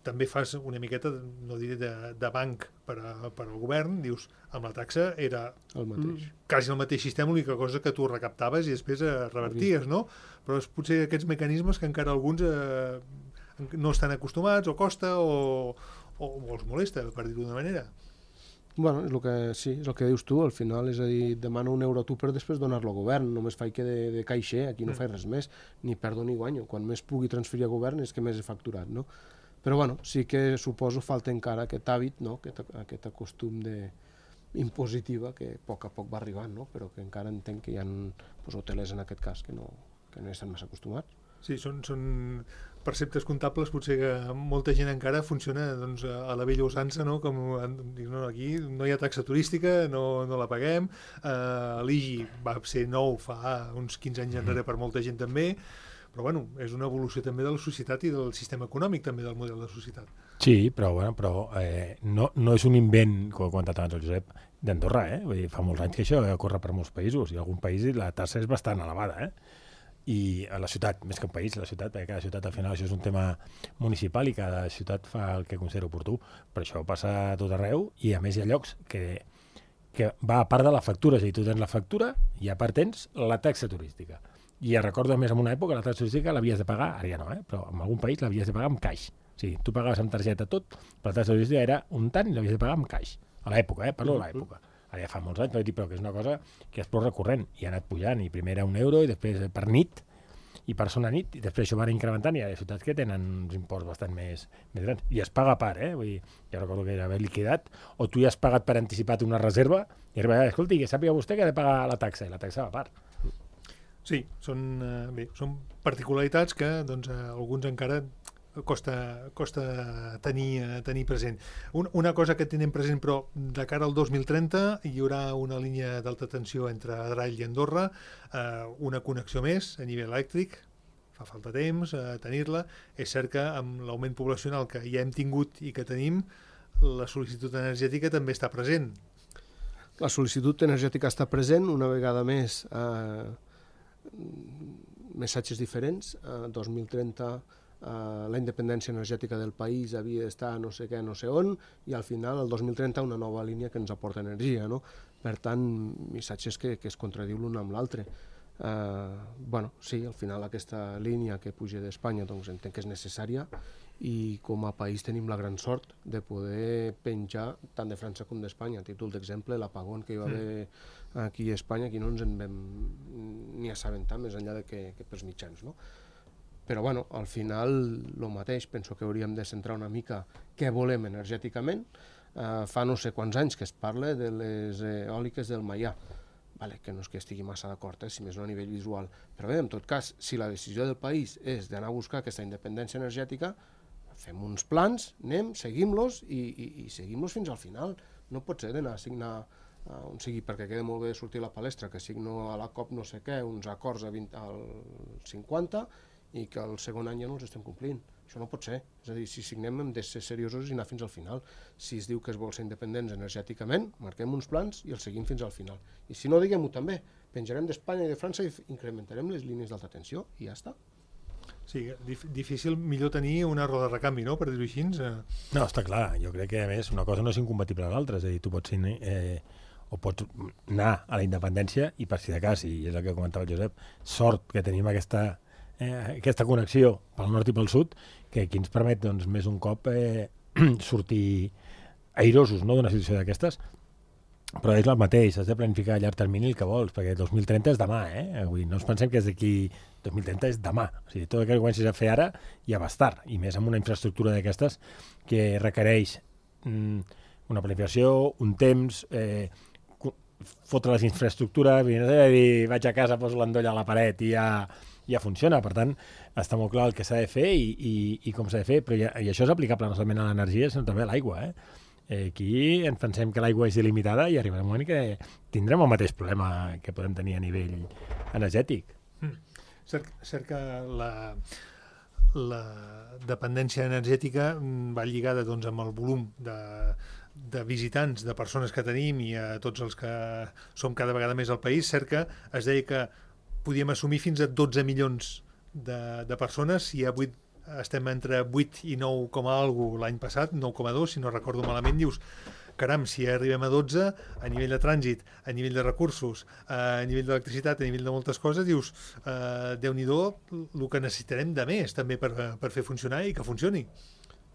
també fas una miqueta, no diré de, de banc per, a, per al govern, dius, amb la taxa era el mateix. quasi el mateix sistema, l'única cosa que tu recaptaves i després eh, reverties, no? Però és potser aquests mecanismes que encara alguns eh, no estan acostumats, o costa, o, o, o els molesta, per dir-ho d'una manera. Bueno, és el que, sí, és el que dius tu, al final, és a dir, demano un euro a tu per després donar-lo al govern, només faig que de, de caixer, aquí no mm. faig res més, ni perdo ni guanyo, quan més pugui transferir a govern és que més he facturat, no? Però bueno, sí que suposo falta encara aquest hàbit, no? aquest, aquest acostum de impositiva que a poc a poc va arribant, no? Però que encara entenc que hi ha pues, hotelers en aquest cas que no, que no estan massa acostumats. Sí, són, són perceptes comptables, potser que molta gent encara funciona doncs, a la vella usança, no? Com no, aquí no hi ha taxa turística, no, no la paguem, uh, l'I G I va ser nou fa uns quinze anys enrere per molta gent també, però bueno, és una evolució també de la societat i del sistema econòmic també del model de societat. Sí, però, bueno, però eh, no, no és un invent, com ha comentat abans el Josep, d'Andorra, eh? Vull dir, fa molts anys que això ocorre per molts països, i en algun país la taxa és bastant elevada, eh? I a la ciutat, més que un país, la ciutat, perquè cada ciutat al final això és un tema municipal i cada ciutat fa el que considera oportú, però això passa a tot arreu i a més hi ha llocs que, que va a part de la factura, és a dir, tu tens la factura i a part tens la taxa turística. I ja recordo més en una època la taxa turística l'havies de pagar, ara ja no, eh? Però en algun país l'havies de pagar amb caix. O sigui, tu pagaves amb targeta tot, però la taxa turística era un tant i l'havies de pagar amb caix. A l'època, eh? Parlo de l'època. Ara ja fa molts anys, però que és una cosa que és prou recurrent i ha anat pujant, i primer era un euro i després per nit, i per zona nit, i després això van incrementant i hi ha ciutats que tenen uns imports bastant més, més grans. I es paga a part, eh? Vull dir, jo recordo que era haver liquidat, o tu ja has pagat per anticipat una reserva, i arriba, escolti, que sàpiga vostè que ha de pagar la taxa, i la taxa va a part. Sí, són, eh, bé, són particularitats que doncs, a alguns encara costa, costa tenir, eh, tenir present. Un, una cosa que tenim present, però de cara al dos mil trenta hi haurà una línia d'alta tensió entre Adrall i Andorra, eh, una connexió més a nivell elèctric, fa falta temps a eh, tenir-la. És cert que amb l'augment poblacional que ja hem tingut i que tenim, la sol·licitud energètica també està present. La sol·licitud energètica està present, una vegada més, eh, missatges diferents. Eh, dos mil trenta Uh, la independència energètica del país havia d'estar no sé què, no sé on, i al final, el dos mil trenta, una nova línia que ens aporta energia, no? Per tant, missatges que, que es contradiu l'un amb l'altre. Uh, bueno, sí, al final aquesta línia que puja d'Espanya doncs entenc que és necessària, i com a país tenim la gran sort de poder penjar tant de França com d'Espanya. A títol d'exemple, l'apagón que hi va haver aquí a Espanya, aquí no ens en vam ni assabentar més enllà de que, que pels mitjans, no? Però bueno, al final el mateix, penso que hauríem de centrar una mica què volem energèticament. Eh, fa no sé quants anys que es parla de les eòliques del Maià, vale, que no és que estigui massa d'acord, eh, si més no a nivell visual, però bé, en tot cas, si la decisió del país és d'anar a buscar aquesta independència energètica, fem uns plans, anem, seguim-los i, i, i seguim-los fins al final. No pot ser d'anar a signar uh, on sigui, perquè queda molt bé sortir a la palestra, que signo a la COP no sé què, uns acords a vint, al cinquanta, i que el segon any ja no els estem complint. Això no pot ser. És a dir, si signem hem de ser seriosos i anar fins al final. Si es diu que es vol ser independents energèticament, marquem uns plans i els seguim fins al final. I si no, diguem-ho també. Penjarem d'Espanya i de França i incrementarem les línies d'alta tensió i ja està. Sí, dif difícil, millor tenir una roda de recanvi, no?, per dir-ho així. No, està clar. Jo crec que, a més, una cosa no és incompatible a l'altra. És a dir, tu pots ser... Eh, o pots anar a la independència i, per si de cas, i és el que comentava el Josep, sort que tenim aquesta... Eh, aquesta connexió pel nord i pel sud, que aquí ens permet doncs, més un cop eh, sortir airosos, no?, d'una situació d'aquestes, però és el mateix, has de planificar a llarg termini el que vols, perquè dos mil trenta és demà, eh? Vull dir, no ens pensem que és d'aquí, dos mil trenta és demà, o sigui, tot el que comencis a fer ara ja va estar, i més amb una infraestructura d'aquestes que requereix mm, una planificació, un temps, eh, fotre les infraestructures, dir, vaig a casa, poso l'endoll a la paret i ja... ja funciona, per tant, està molt clar el que s'ha de fer i, i, i com s'ha de fer, però ja, i això és aplicable no solament a l'energia, sinó també a l'aigua. Eh? Eh, aquí ens pensem que l'aigua és il·limitada i arribarà un moment que tindrem el mateix problema que podem tenir a nivell energètic. Mm. Cert, cert que la, la dependència energètica va lligada doncs, amb el volum de, de visitants, de persones que tenim i a tots els que som cada vegada més al país. Cert que es deia que podíem assumir fins a dotze milions de, de persones, i avui estem entre vuit i nou coma algo l'any passat, nou coma dos, si no recordo malament. Dius, caram, si arribem a dotze, a nivell de trànsit, a nivell de recursos, a nivell d'electricitat, a nivell de moltes coses, dius, eh, Déu-n'hi-do el que necessitarem de més també per, per fer funcionar i que funcioni.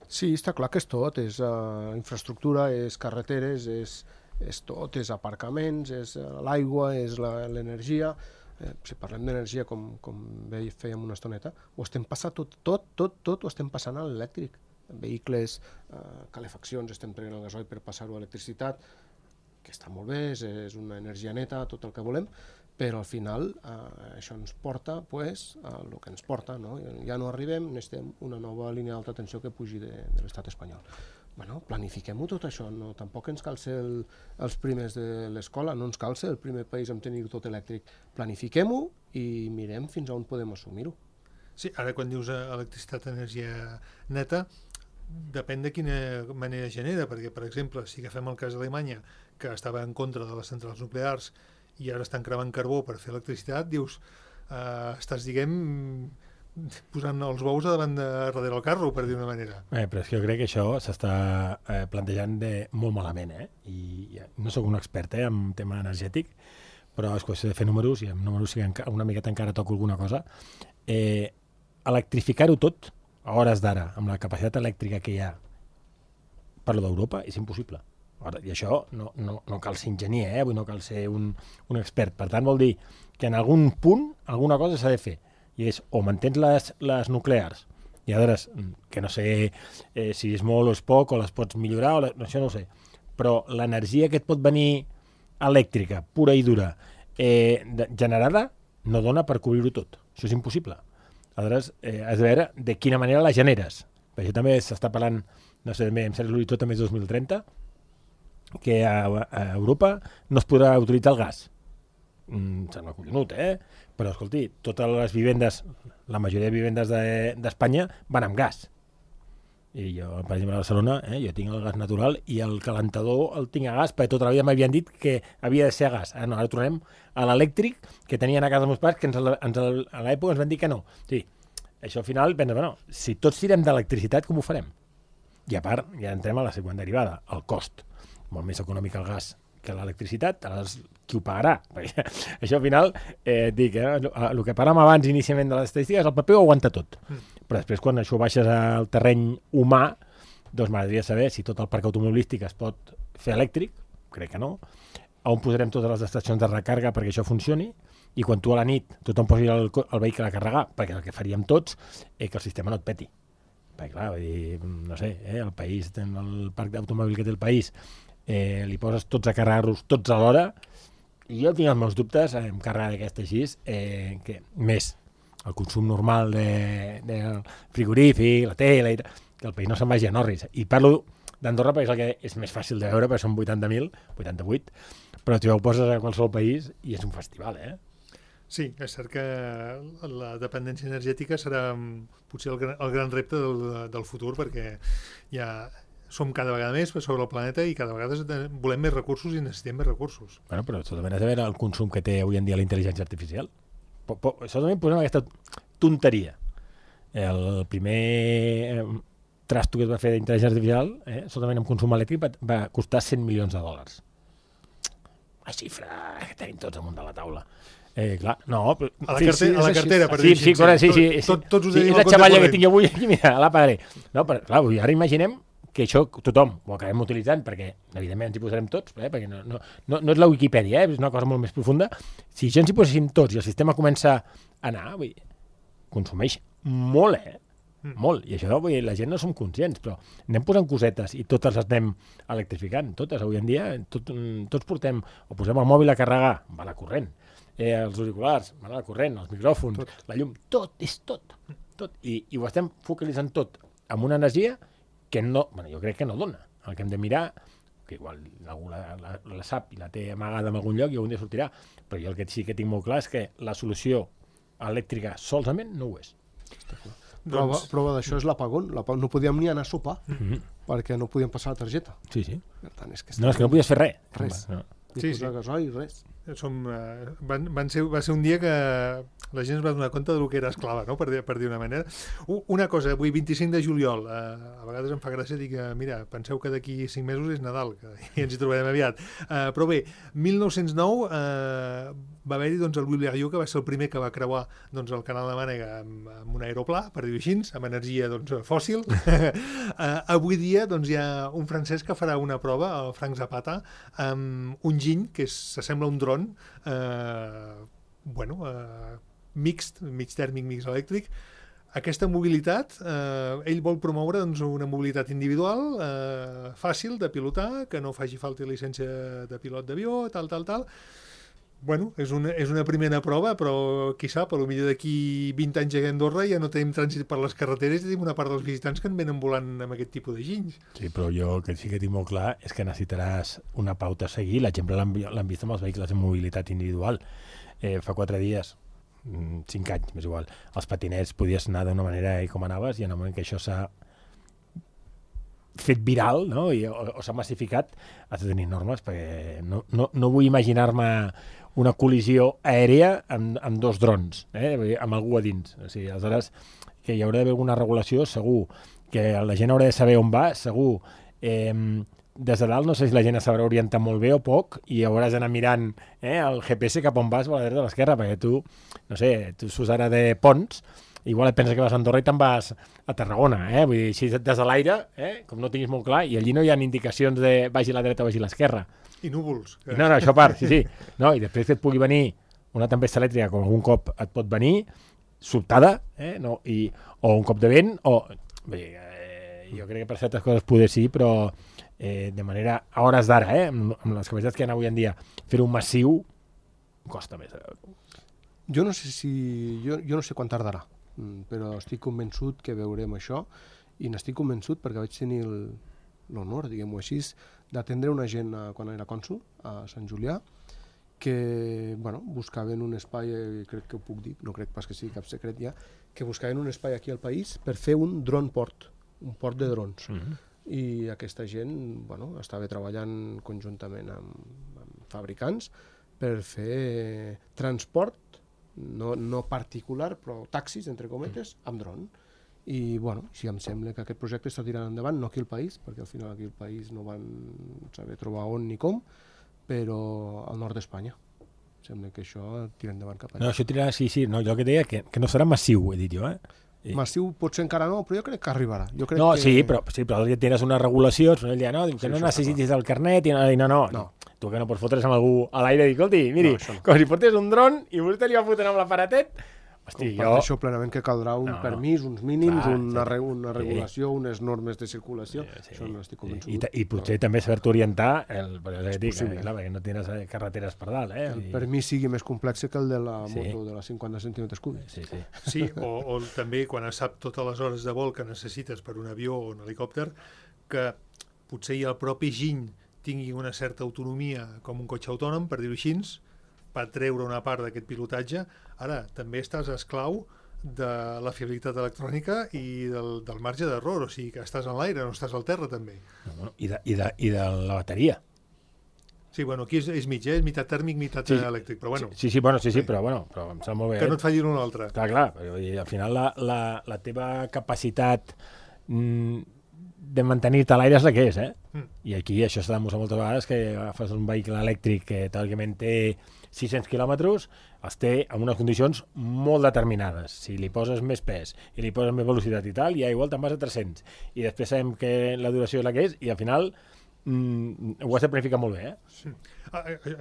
Sí, està clar que és tot, és uh, infraestructura, és carreteres, és, és tot, és aparcaments, és uh, l'aigua, és l'energia. Eh, si parlem d'energia, com, com bé fèiem una estoneta, ho estem passant tot, tot, tot, tot ho estem passant a l'elèctric. Vehicles, eh, calefaccions, estem prenent el gasoil per passar-ho a electricitat, que està molt bé, és, és una energia neta, tot el que volem, però al final eh, això ens porta pues, a el que ens porta, no? Ja no arribem, necessitem una nova línia d'alta tensió que pugi de, de l'estat espanyol. Bueno, planifiquem-ho tot això, no? Tampoc ens cal ser el, els primers de l'escola, no ens cal ser el primer país en tenir tot elèctric. Planifiquem-ho i mirem fins on podem assumir-ho. Sí, ara quan dius electricitat, energia neta, depèn de quina manera genera, perquè, per exemple, si agafem el cas d'Alemanya, que estava en contra de les centrals nuclears i ara estan cremant carbó per fer electricitat, dius, eh, estàs, diguem, posant els bous davant de darrere el carro, per dir una manera. Eh, però és que jo crec que això s'està eh, plantejant de molt malament, eh? I no sóc un expert eh, en tema energètic, però és qüestió de fer números, i amb números sí que una miqueta encara toco alguna cosa. Eh, electrificar-ho tot, a hores d'ara, amb la capacitat elèctrica que hi ha, parlo d'Europa, és impossible. Ara, i això no, no, no cal ser enginyer, eh? Vull no cal ser un, un expert. Per tant, vol dir que en algun punt alguna cosa s'ha de fer. I és o mantens les, les nuclears, i a veure, que no sé eh, si és molt o és poc, o les pots millorar, o la, això no ho sé, però l'energia que et pot venir elèctrica, pura i dura, eh, de, generada, no dona per cobrir-ho tot. Això és impossible. Aleshores, eh, has de veure de quina manera la generes. Per això també s'està parlant, no sé, em sembla l'horitzó també és dos mil trenta, que a, a Europa no es podrà utilitzar el gas. Mm, sembla collonut, eh? Però, escolti, totes les vivendes, la majoria de vivendes d'Espanya de, van amb gas. I jo, per exemple, a Barcelona, eh, jo tinc el gas natural i el calentador el tinc a gas, perquè tota la vida m'havien dit que havia de ser a gas. Ara no, ara tornem a l'elèctric que tenien a casa els meus pares, que ens, ens, a l'època ens van dir que no. Sí, això al final, pensa, bueno, si tots tirem d'electricitat, com ho farem? I a part, ja entrem a la següent derivada, el cost. Molt més econòmic el gas que l'electricitat, aleshores qui ho pagarà? Perquè això al final, eh, dic, eh, el que parlàvem abans inicialment de les estadístiques, el paper ho aguanta tot. Mm. Però després quan això baixes al terreny humà, doncs m'agradaria saber si tot el parc automobilístic es pot fer elèctric, crec que no, on posarem totes les estacions de recàrrega perquè això funcioni, i quan tu a la nit tothom posi el, el vehicle a carregar, perquè el que faríem tots és que el sistema no et peti. Perquè clar, vull dir, no sé, eh, el país, el parc d'automòbil que té el país, Eh, li poses tots a carregar-los tots alhora, i jo tinc els meus dubtes en carregar d'aquesta així, eh, que més el consum normal de, de frigorífic, la tele, que el país no se'n vagi a Norris. I parlo d'Andorra perquè és el que és més fàcil de veure, perquè són vuitanta mil, vuitanta-vuit, però tu ho poses a qualsevol país i és un festival, eh? Sí, és cert que la dependència energètica serà potser el gran, el gran repte del, del futur, perquè ja som cada vegada més sobre el planeta i cada vegada volem més recursos i necessitem més recursos. Bueno, però solament has de veure el consum que té avui en dia la intel·ligència artificial. Po, po, solament posem aquesta tonteria. El primer eh, trasto que es va fer d'intel·ligència artificial, eh, solament amb consum elèctric, va, va costar cent milions de dòlars. La xifra que tenim tots amunt de la taula. Eh, clar, no, però, a la, sí, carte, sí, a la cartera, per sí, dir sí, sí, sí, sí, tot, tots us sí, és la xavalla que tinc avui aquí, mira, la pagaré. No, però clar, ara imaginem que això tothom ho acabem utilitzant, perquè evidentment ens hi posarem tots, eh? Perquè no, no, no, no és la Wikipedia, eh? És una cosa molt més profunda. Si això ens hi poséssim tots i el sistema comença a anar, vull dir, consumeix molt, eh? Mm. Molt. I això, vull dir, la gent no som conscients, però anem posant cosetes i totes les anem electrificant, totes. Avui en dia tot, tots portem, o posem el mòbil a carregar, va la corrent, eh, els auriculars, va la corrent, els micròfons, tot. La llum, tot, és tot. tot. I, I ho estem focalitzant tot amb una energia que no, bueno, jo crec que no dona. El que hem de mirar, que igual algú la, la, la sap i la té amagada en algun lloc i algun dia sortirà, però jo el que sí que tinc molt clar és que la solució elèctrica solament no ho és. Prova, doncs... prova d'això és l'apagón. No podíem ni anar a sopar, mm-hmm. perquè no podíem passar la targeta. Sí, sí. Per tant, és que no, és que no podies fer res. Res. No. Ni sí, posar sí. gasoil, res. Som, uh, van, van ser, va ser un dia que la gent es va donar compte del que era esclava, no? per, dir, per dir una manera. Una cosa, avui vint-i-cinc de juliol, uh, a vegades em fa gràcia dir que, mira, penseu que d'aquí cinc mesos és Nadal, que i ens hi trobarem aviat. Uh, però bé, mil nou-cents nou uh, va haver-hi doncs, el Louis Blériot, que va ser el primer que va creuar doncs, el canal de Mànega amb, amb un aeroplà, per dir-ho així, amb energia doncs, fòssil. uh, avui dia doncs, hi ha un francès que farà una prova, el Frank Zapata, amb un giny, que s'assembla a un dron, eh, bueno, eh, mixt, mig tèrmic, mig elèctric. Aquesta mobilitat, eh, ell vol promoure doncs, una mobilitat individual, eh, fàcil de pilotar, que no faci falta llicència de pilot d'avió, tal, tal, tal. Bueno, és una, és una primera prova, però qui sap, potser d'aquí vint anys a Andorra ja no tenim trànsit per les carreteres i tenim una part dels visitants que en venen volant amb aquest tipus de ginys. Sí, però jo el que sí que tinc molt clar és que necessitaràs una pauta a seguir. L'exemple l'han vist amb els vehicles de mobilitat individual. Eh, fa quatre dies, cinc anys, més igual, els patinets podies anar d'una manera i com anaves, i en el moment que això s'ha fet viral, no? I, o, o s'ha massificat, has de tenir normes, perquè no, no, no vull imaginar-me una col·lisió aèria amb, amb dos drons, eh? Amb algú a dins. O sigui, aleshores, que hi haurà d'haver alguna regulació, segur, que la gent haurà de saber on va, segur. Eh, des de dalt no sé si la gent es sabrà orientar molt bé o poc i hauràs d'anar mirant eh, el G P S cap on vas a la dreta o a l'esquerra, perquè tu, no sé, tu surts ara de Ponts, igual et penses que vas a Andorra i te'n vas a Tarragona, eh? Vull dir, així des de l'aire, eh? Com no tinguis molt clar, i allí no hi ha indicacions de vagi a la dreta o vagi a l'esquerra. I núvols. I no, no, això a part, sí, sí. No, i després que et pugui venir una tempesta elèctrica, com algun cop et pot venir, sobtada, eh? No, i, o un cop de vent, o... Vull dir, eh, jo crec que per certes coses poder sí, però eh, de manera, a hores d'ara, eh? Amb, amb les capacitats que hi ha avui en dia, fer-ho massiu costa més. Jo no sé si... Jo, jo no sé quan tardarà, però estic convençut que veurem això, i n'estic convençut perquè vaig tenir l'honor, diguem-ho així, d'atendre una gent a, quan era cònsul a Sant Julià, que bueno, buscaven un espai, crec que ho puc dir, no crec pas que sigui cap secret ja, que buscaven un espai aquí al país per fer un drone port, un port de drons. Mm-hmm. I aquesta gent bueno, estava treballant conjuntament amb, amb fabricants per fer transport, no, no particular, però taxis, entre cometes, amb dron. I, bueno, sí, em sembla que aquest projecte està tirant endavant, no aquí al país, perquè al final aquí al país no van saber trobar on ni com, però al nord d'Espanya. Sembla que això tira endavant cap allà. No, això tirarà, sí, sí, no, jo que deia que, que no serà massiu, he dit jo, eh? I... Massiu potser encara no, però jo crec que arribarà. Jo crec no, que... sí, però, sí, però tens una regulació, ell dia, no, diu que sí, no necessitis el carnet, i no, i no, no. no. Tu que no pots fotre's amb algú a l'aire i dir, escolti, miri, no, no. Com si portés un dron i vostè li va fotent amb l'aparatet. Hosti, jo... això plenament que caldrà un no, permís, uns mínims, clar, una, sí. una regulació, sí. Unes normes de circulació, sí, sí. Això no estic convençut. I, i, i potser però... també saber-te orientar, el, perquè, dic, eh, clar, perquè no tens carreteres per dalt. Eh? El permís sigui més complex que el de la sí. moto de les cinquanta centímetres cúbics. Sí, sí. Sí, o, o també quan es sap totes les hores de vol que necessites per un avió o un helicòpter, que potser ja el propi giny tingui una certa autonomia com un cotxe autònom, per dir-ho així, per treure una part d'aquest pilotatge. Ara, també estàs esclau de la fiabilitat electrònica i del, del marge d'error, o sigui que estàs en l'aire, no estàs al terra també. No, bueno, i, de, i, de, I de la bateria. Sí, bueno, aquí és, és mig, eh? És meitat tèrmic, meitat sí, elèctric, però bueno. Sí, sí, bueno, sí, sí, sí. Però, bueno, però em sembla molt bé. Que no et falli l'un o l'altre. Clar, clar, però, i al final la, la, la teva capacitat mm, de mantenir-te a l'aire és la que és, eh? Mm. I aquí això s'ha demostrat moltes vegades, que agafes un vehicle elèctric que teòricament té sis-cents quilòmetres, els té en unes condicions molt determinades. Si li poses més pes i li poses més velocitat i tal, ja igual te'n vas a tres-cents. I després sabem que la duració és la que és i al final mm, ho has de planificar molt bé, eh? Sí. Ah, eh,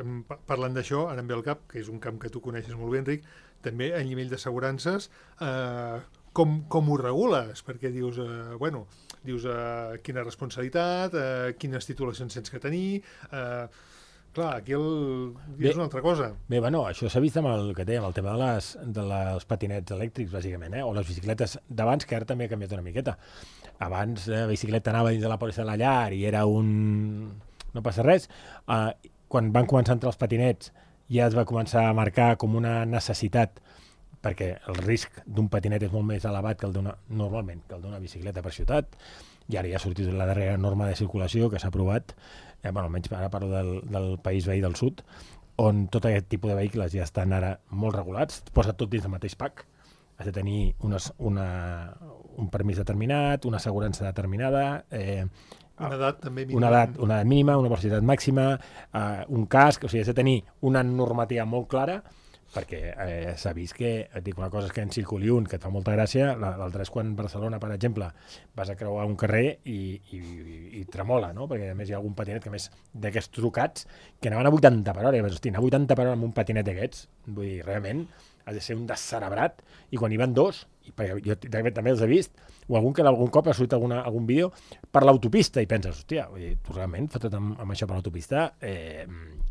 parlant d'això, ara em ve al cap, que és un camp que tu coneixes molt bé, Enric, també a nivell d'assegurances, eh, com, com ho regules? Perquè dius, eh, bueno, dius eh, quina responsabilitat, eh, quines titulacions tens que tenir... Eh, clar, aquí el... Bé, és una altra cosa. Bé, bueno, això s'ha vist amb el que té, amb el tema de les, de les patinets elèctrics, bàsicament, eh? O les bicicletes d'abans, que ara també ha canviat una miqueta. Abans la bicicleta anava dins de la pòlissa de la llar i era un... no passa res. Uh, quan van començar a entrar els patinets ja es va començar a marcar com una necessitat, perquè el risc d'un patinet és molt més elevat que el d'una, normalment, que el d'una bicicleta per ciutat, i ara ja ha sortit la darrera norma de circulació que s'ha aprovat, eh, bueno, almenys ara parlo del, del país veí del sud, on tot aquest tipus de vehicles ja estan ara molt regulats, posa tot dins del mateix pack, has de tenir unes, una, un permís determinat, una assegurança determinada, eh, una edat també mínima, una edat, una edat mínima, una velocitat màxima, eh, un casc, o sigui, has de tenir una normativa molt clara, perquè eh, s'ha vist que, et dic una cosa és que en circuli un, que et fa molta gràcia, l'altra és quan a Barcelona, per exemple, vas a creuar un carrer i, i, i, i tremola, no? Perquè a més hi ha algun patinet que a més d'aquests trucats que anaven a vuitanta per hora, i vas, hosti, anar a vuitanta per hora amb un patinet d'aquests, vull dir, realment has de ser un descerebrat, i quan hi van dos, i perquè jo també els he vist, o algun que algun cop ha sortit alguna, algun vídeo per l'autopista, i penses, hòstia, vull dir, tu realment fota't amb, amb això per l'autopista, eh,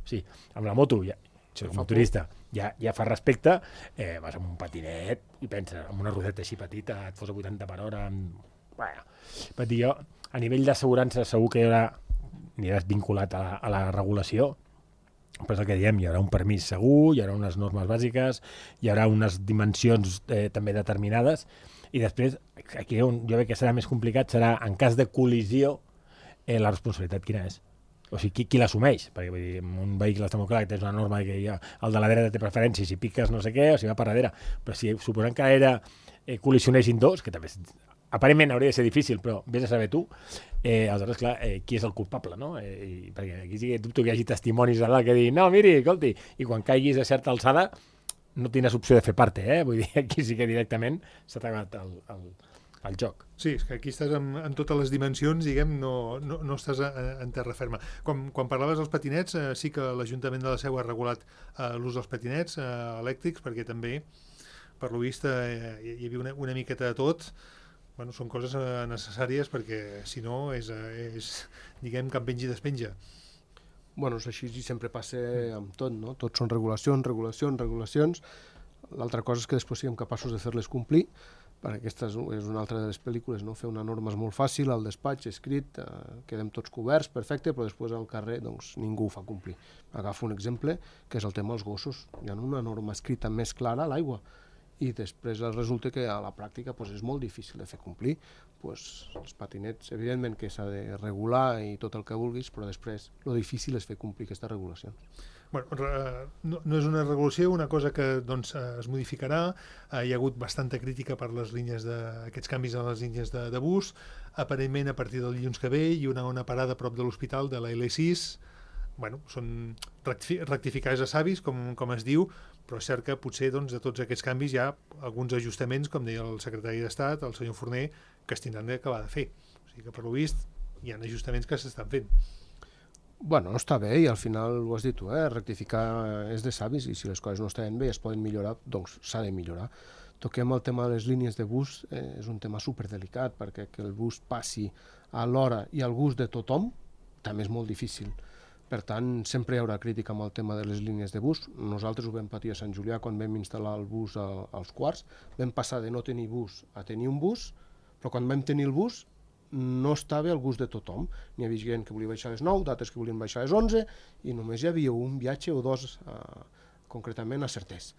sí, amb la moto, ja, si com a turista ja, ja fa respecte, eh, vas amb un patinet i penses, amb una rodeta així petita, et fos a vuitanta per hora, amb... bueno, per dir jo, a nivell d'assegurança segur que hi haurà, aniràs vinculat a la, a la regulació, però és el que diem, hi haurà un permís segur, hi haurà unes normes bàsiques, hi haurà unes dimensions eh, també determinades, i després, aquí on jo crec que serà més complicat, serà en cas de col·lisió eh, la responsabilitat quina és? O sigui, qui, qui l'assumeix? Perquè vull dir, en un vehicle està molt clar que tens una norma que ja, el de la dreta té preferència, si piques no sé què, o si va per darrere. Però si suposant que era eh, col·lisionessin dos, que també és, aparentment hauria de ser difícil, però vés a saber tu, eh, aleshores, clar, eh, qui és el culpable, no? Eh, i, perquè aquí sí que dubto que hi hagi testimonis a dalt que diguin, no, miri, escolti, i quan caiguis a certa alçada no tindràs opció de fer parte, eh? Vull dir, aquí sí que directament s'ha acabat el, el, el joc. Sí, és que aquí estàs en, en totes les dimensions, diguem, no, no, no estàs a, a, en terra ferma. Quan, quan parlaves dels patinets, eh, sí que l'Ajuntament de la Seu ha regulat eh, l'ús dels patinets eh, elèctrics, perquè també, per lo vist, eh, hi, hi havia una, una miqueta de tot. Bueno, són coses eh, necessàries, perquè si no és, eh, és diguem, que en pengi despenja. Bueno, és així i sempre passa amb tot, no? Tot són regulacions, regulacions, regulacions. L'altra cosa és que després siguem capaços de fer-les complir, perquè aquesta és una altra de les pel·lícules, no? Fer una norma és molt fàcil, al despatx, escrit, eh, quedem tots coberts, perfecte, però després al carrer doncs, ningú ho fa complir. Agafo un exemple, que és el tema dels gossos. Hi ha una norma escrita més clara a l'aigua, i després resulta que a la pràctica doncs, és molt difícil de fer complir. Pues, els patinets, evidentment que s'ha de regular i tot el que vulguis, però després el difícil és fer complir aquesta regulació. Bueno, no, no és una regulació, una cosa que doncs, es modificarà. Eh, hi ha hagut bastanta crítica per les línies de, aquests canvis en les línies de, de bus. Aparentment, a partir del dilluns que ve, hi haurà una parada a prop de l'hospital de la L sis. Bueno, són rectificats a savis, com, com es diu, però és cert que potser doncs, de tots aquests canvis hi ha alguns ajustaments, com deia el secretari d'Estat, el senyor Forner, que es tindran d'acabar de fer. O sigui que, per lo vist, hi ha ajustaments que s'estan fent. Bueno, està bé i al final ho has dit tu, eh? Rectificar és de savis i si les coses no estan bé i es poden millorar, doncs s'ha de millorar. Toquem el tema de les línies de bus, eh, és un tema superdelicat perquè que el bus passi a l'hora i al gust de tothom també és molt difícil. Per tant, sempre hi haurà crítica amb el tema de les línies de bus. Nosaltres ho vam patir a Sant Julià quan vam instal·lar el bus a, als quarts. Vam passar de no tenir bus a tenir un bus, però quan vam tenir el bus no estava al gust de tothom. N'hi havia gent que volia baixar a les nou, d'altres que volien baixar a les onze, i només hi havia un viatge o dos, eh, concretament a Certés.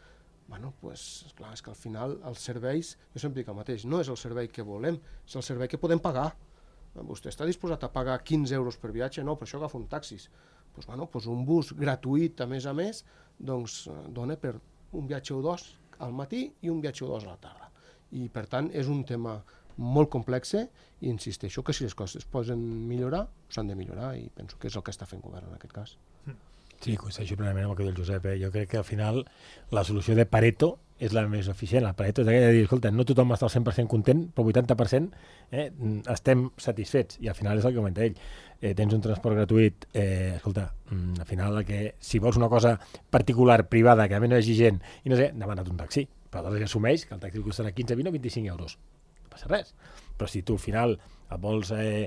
Bueno, pues, clar, és que al final els serveis, jo sempre dic el mateix, no és el servei que volem, és el servei que podem pagar. Vostè està disposat a pagar quinze euros per viatge? No, per això agafa un taxis. Pues, bueno, pues un bus gratuït, a més a més, doncs dona per un viatge o dos al matí i un viatge o dos a la tarda. I, per tant, és un tema molt complexe i insisteixo que si les coses es poden millorar, s'han de millorar i penso que és el que està fent govern en aquest cas. Sí, coincideixo plenament amb el que diu el Josep. Eh? Jo crec que al final la solució de Pareto és la més eficient. El Pareto és aquella de dir, escolta, no tothom està al cent per cent content, però el vuitanta per cent eh, estem satisfets i al final és el que comenta ell. Eh, tens un transport gratuït, eh, escolta, al final que si vols una cosa particular, privada, que a mi no hi hagi gent i no sé, demana't un taxi, però aleshores assumeix que el taxi costarà quinze, vint o vint-i-cinc euros. Passa res, però si tu al final et vols eh,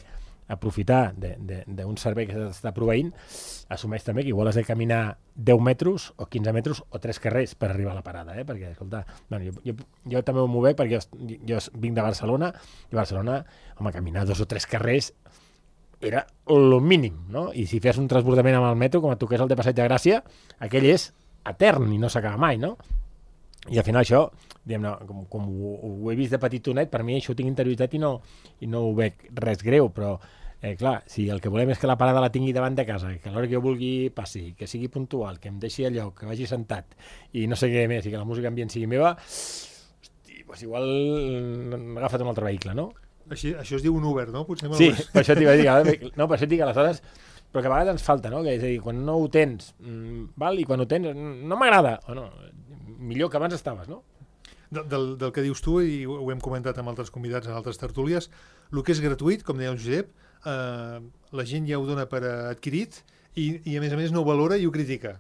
aprofitar d'un servei que s'està proveint, assumeix també que igual has de caminar deu metres o quinze metres o tres carrers per arribar a la parada, eh? Perquè, escolta, bueno, jo, jo, jo també ho movec perquè jo, jo vinc de Barcelona i a Barcelona, home, caminar dos o tres carrers era el mínim, no? I si fes un transbordament amb el metro, com et toqués el de Passeig de Gràcia, aquell és etern i no s'acaba mai, no? I al final això, diguem-ne, com, com ho, ho he vist de petitonet, per mi això ho tinc interioritzat i no, i no ho veig res greu, però eh, clar, si el que volem és que la parada la tingui davant de casa, que a l'hora que jo vulgui passi, que sigui puntual, que em deixi al lloc, que vagi sentat i no sé què més, i que la música ambient sigui meva, hosti, doncs igual agafa't un altre vehicle, no? Així, això es diu un Uber, no? Potser sí, per això t'hi vaig dir, no, per això et dic aleshores, però que a vegades ens falta, no? Que és a dir, quan no ho tens, mmm, val, i quan ho tens, no m'agrada, o no, millor que abans estaves, no? Del, del, del que dius tu, i ho hem comentat amb altres convidats en altres tertúlies, el que és gratuït, com deia el Josep, eh, la gent ja ho dona per adquirit i, i a més a més no ho valora i ho critica,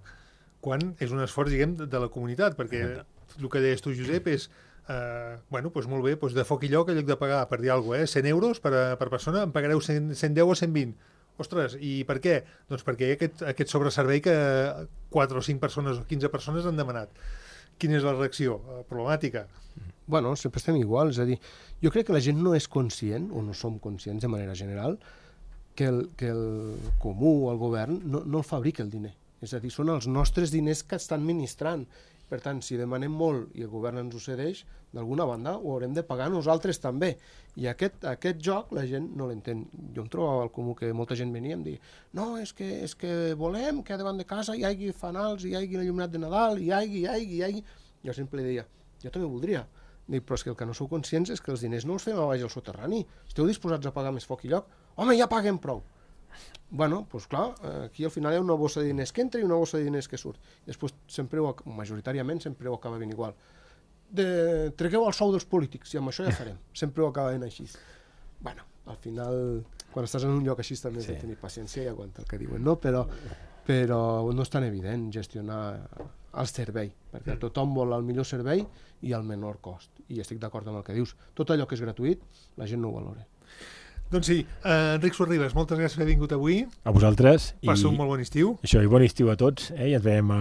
quan és un esforç, diguem, de, de la comunitat, perquè el que deies tu, Josep, és eh, bueno, doncs molt bé, doncs de foc i lloc, en lloc de pagar, per dir alguna cosa, eh, cent euros per, per persona, em pagareu cent, cent deu o cent vint. Ostres, i per què? Doncs perquè hi ha aquest, aquest sobreservei que quatre o cinc persones o quinze persones han demanat. Quina és la reacció? Problemàtica? Bueno, sempre estem igual, és a dir, jo crec que la gent no és conscient, o no som conscients de manera general, que el, que el comú o el govern no, no el fabrica el diner. És a dir, són els nostres diners que estan administrant Per tant, si demanem molt i el govern ens ho cedeix, d'alguna banda ho haurem de pagar nosaltres també. I aquest, aquest joc la gent no l'entén. Jo em trobava al comú que molta gent venia i em deia no, és que, és que volem que davant de casa hi hagi fanals, hi hagi l'il·luminat de Nadal, hi hagi, hi hagi, hi hagi... Jo sempre li deia, jo també voldria. Dic, però és que el que no sou conscients és que els diners no els fem a baix al soterrani. Esteu disposats a pagar més foc i lloc? Home, ja paguem prou. Bueno, doncs clar, aquí al final hi ha una bossa de diners que entra i una bossa de diners que surt. Després, sempre ho, majoritàriament, sempre ho acaba ben igual. De, tregueu el sou dels polítics i amb això ja farem. Sempre ho acaba ben així. Bueno, al final, quan estàs en un lloc així també has sí. de tenir paciència i aguantar el que diuen, no? Però, però no és tan evident gestionar el servei, perquè tothom vol el millor servei i el menor cost. I estic d'acord amb el que dius. Tot allò que és gratuït, la gent no ho valora. Doncs sí, uh, Enric Sorribes, moltes gràcies per haver vingut avui. A vosaltres. Passa un molt bon estiu. Això, i bon estiu a tots, eh? I ens veiem a...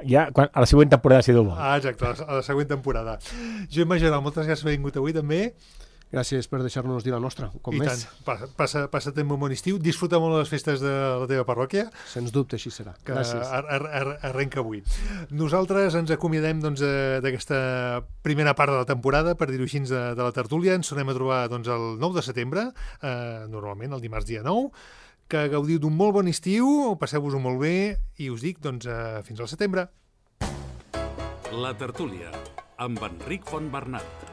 ja quan, a la següent temporada, si Déu vol. Ah, exacte, a la, a la següent temporada. Joan Majoral, moltes gràcies per haver vingut avui també. Gràcies per deixar-nos dir la nostra, com I més. tant, passa, passa, passa't un bon estiu, disfruta molt les festes de la teva parròquia. Sens dubte, així serà. Que Gràcies. Ar, ar, ar, arrenca avui. Nosaltres ens acomiadem doncs, d'aquesta primera part de la temporada, per dir-ho així, de, de la tertúlia. Ens tornem a trobar doncs, el nou de setembre, eh, normalment el dimarts dia nou. Que gaudiu d'un molt bon estiu, passeu-vos-ho molt bé i us dic doncs, eh, fins al setembre. La tertúlia, amb Enric Fontbernat.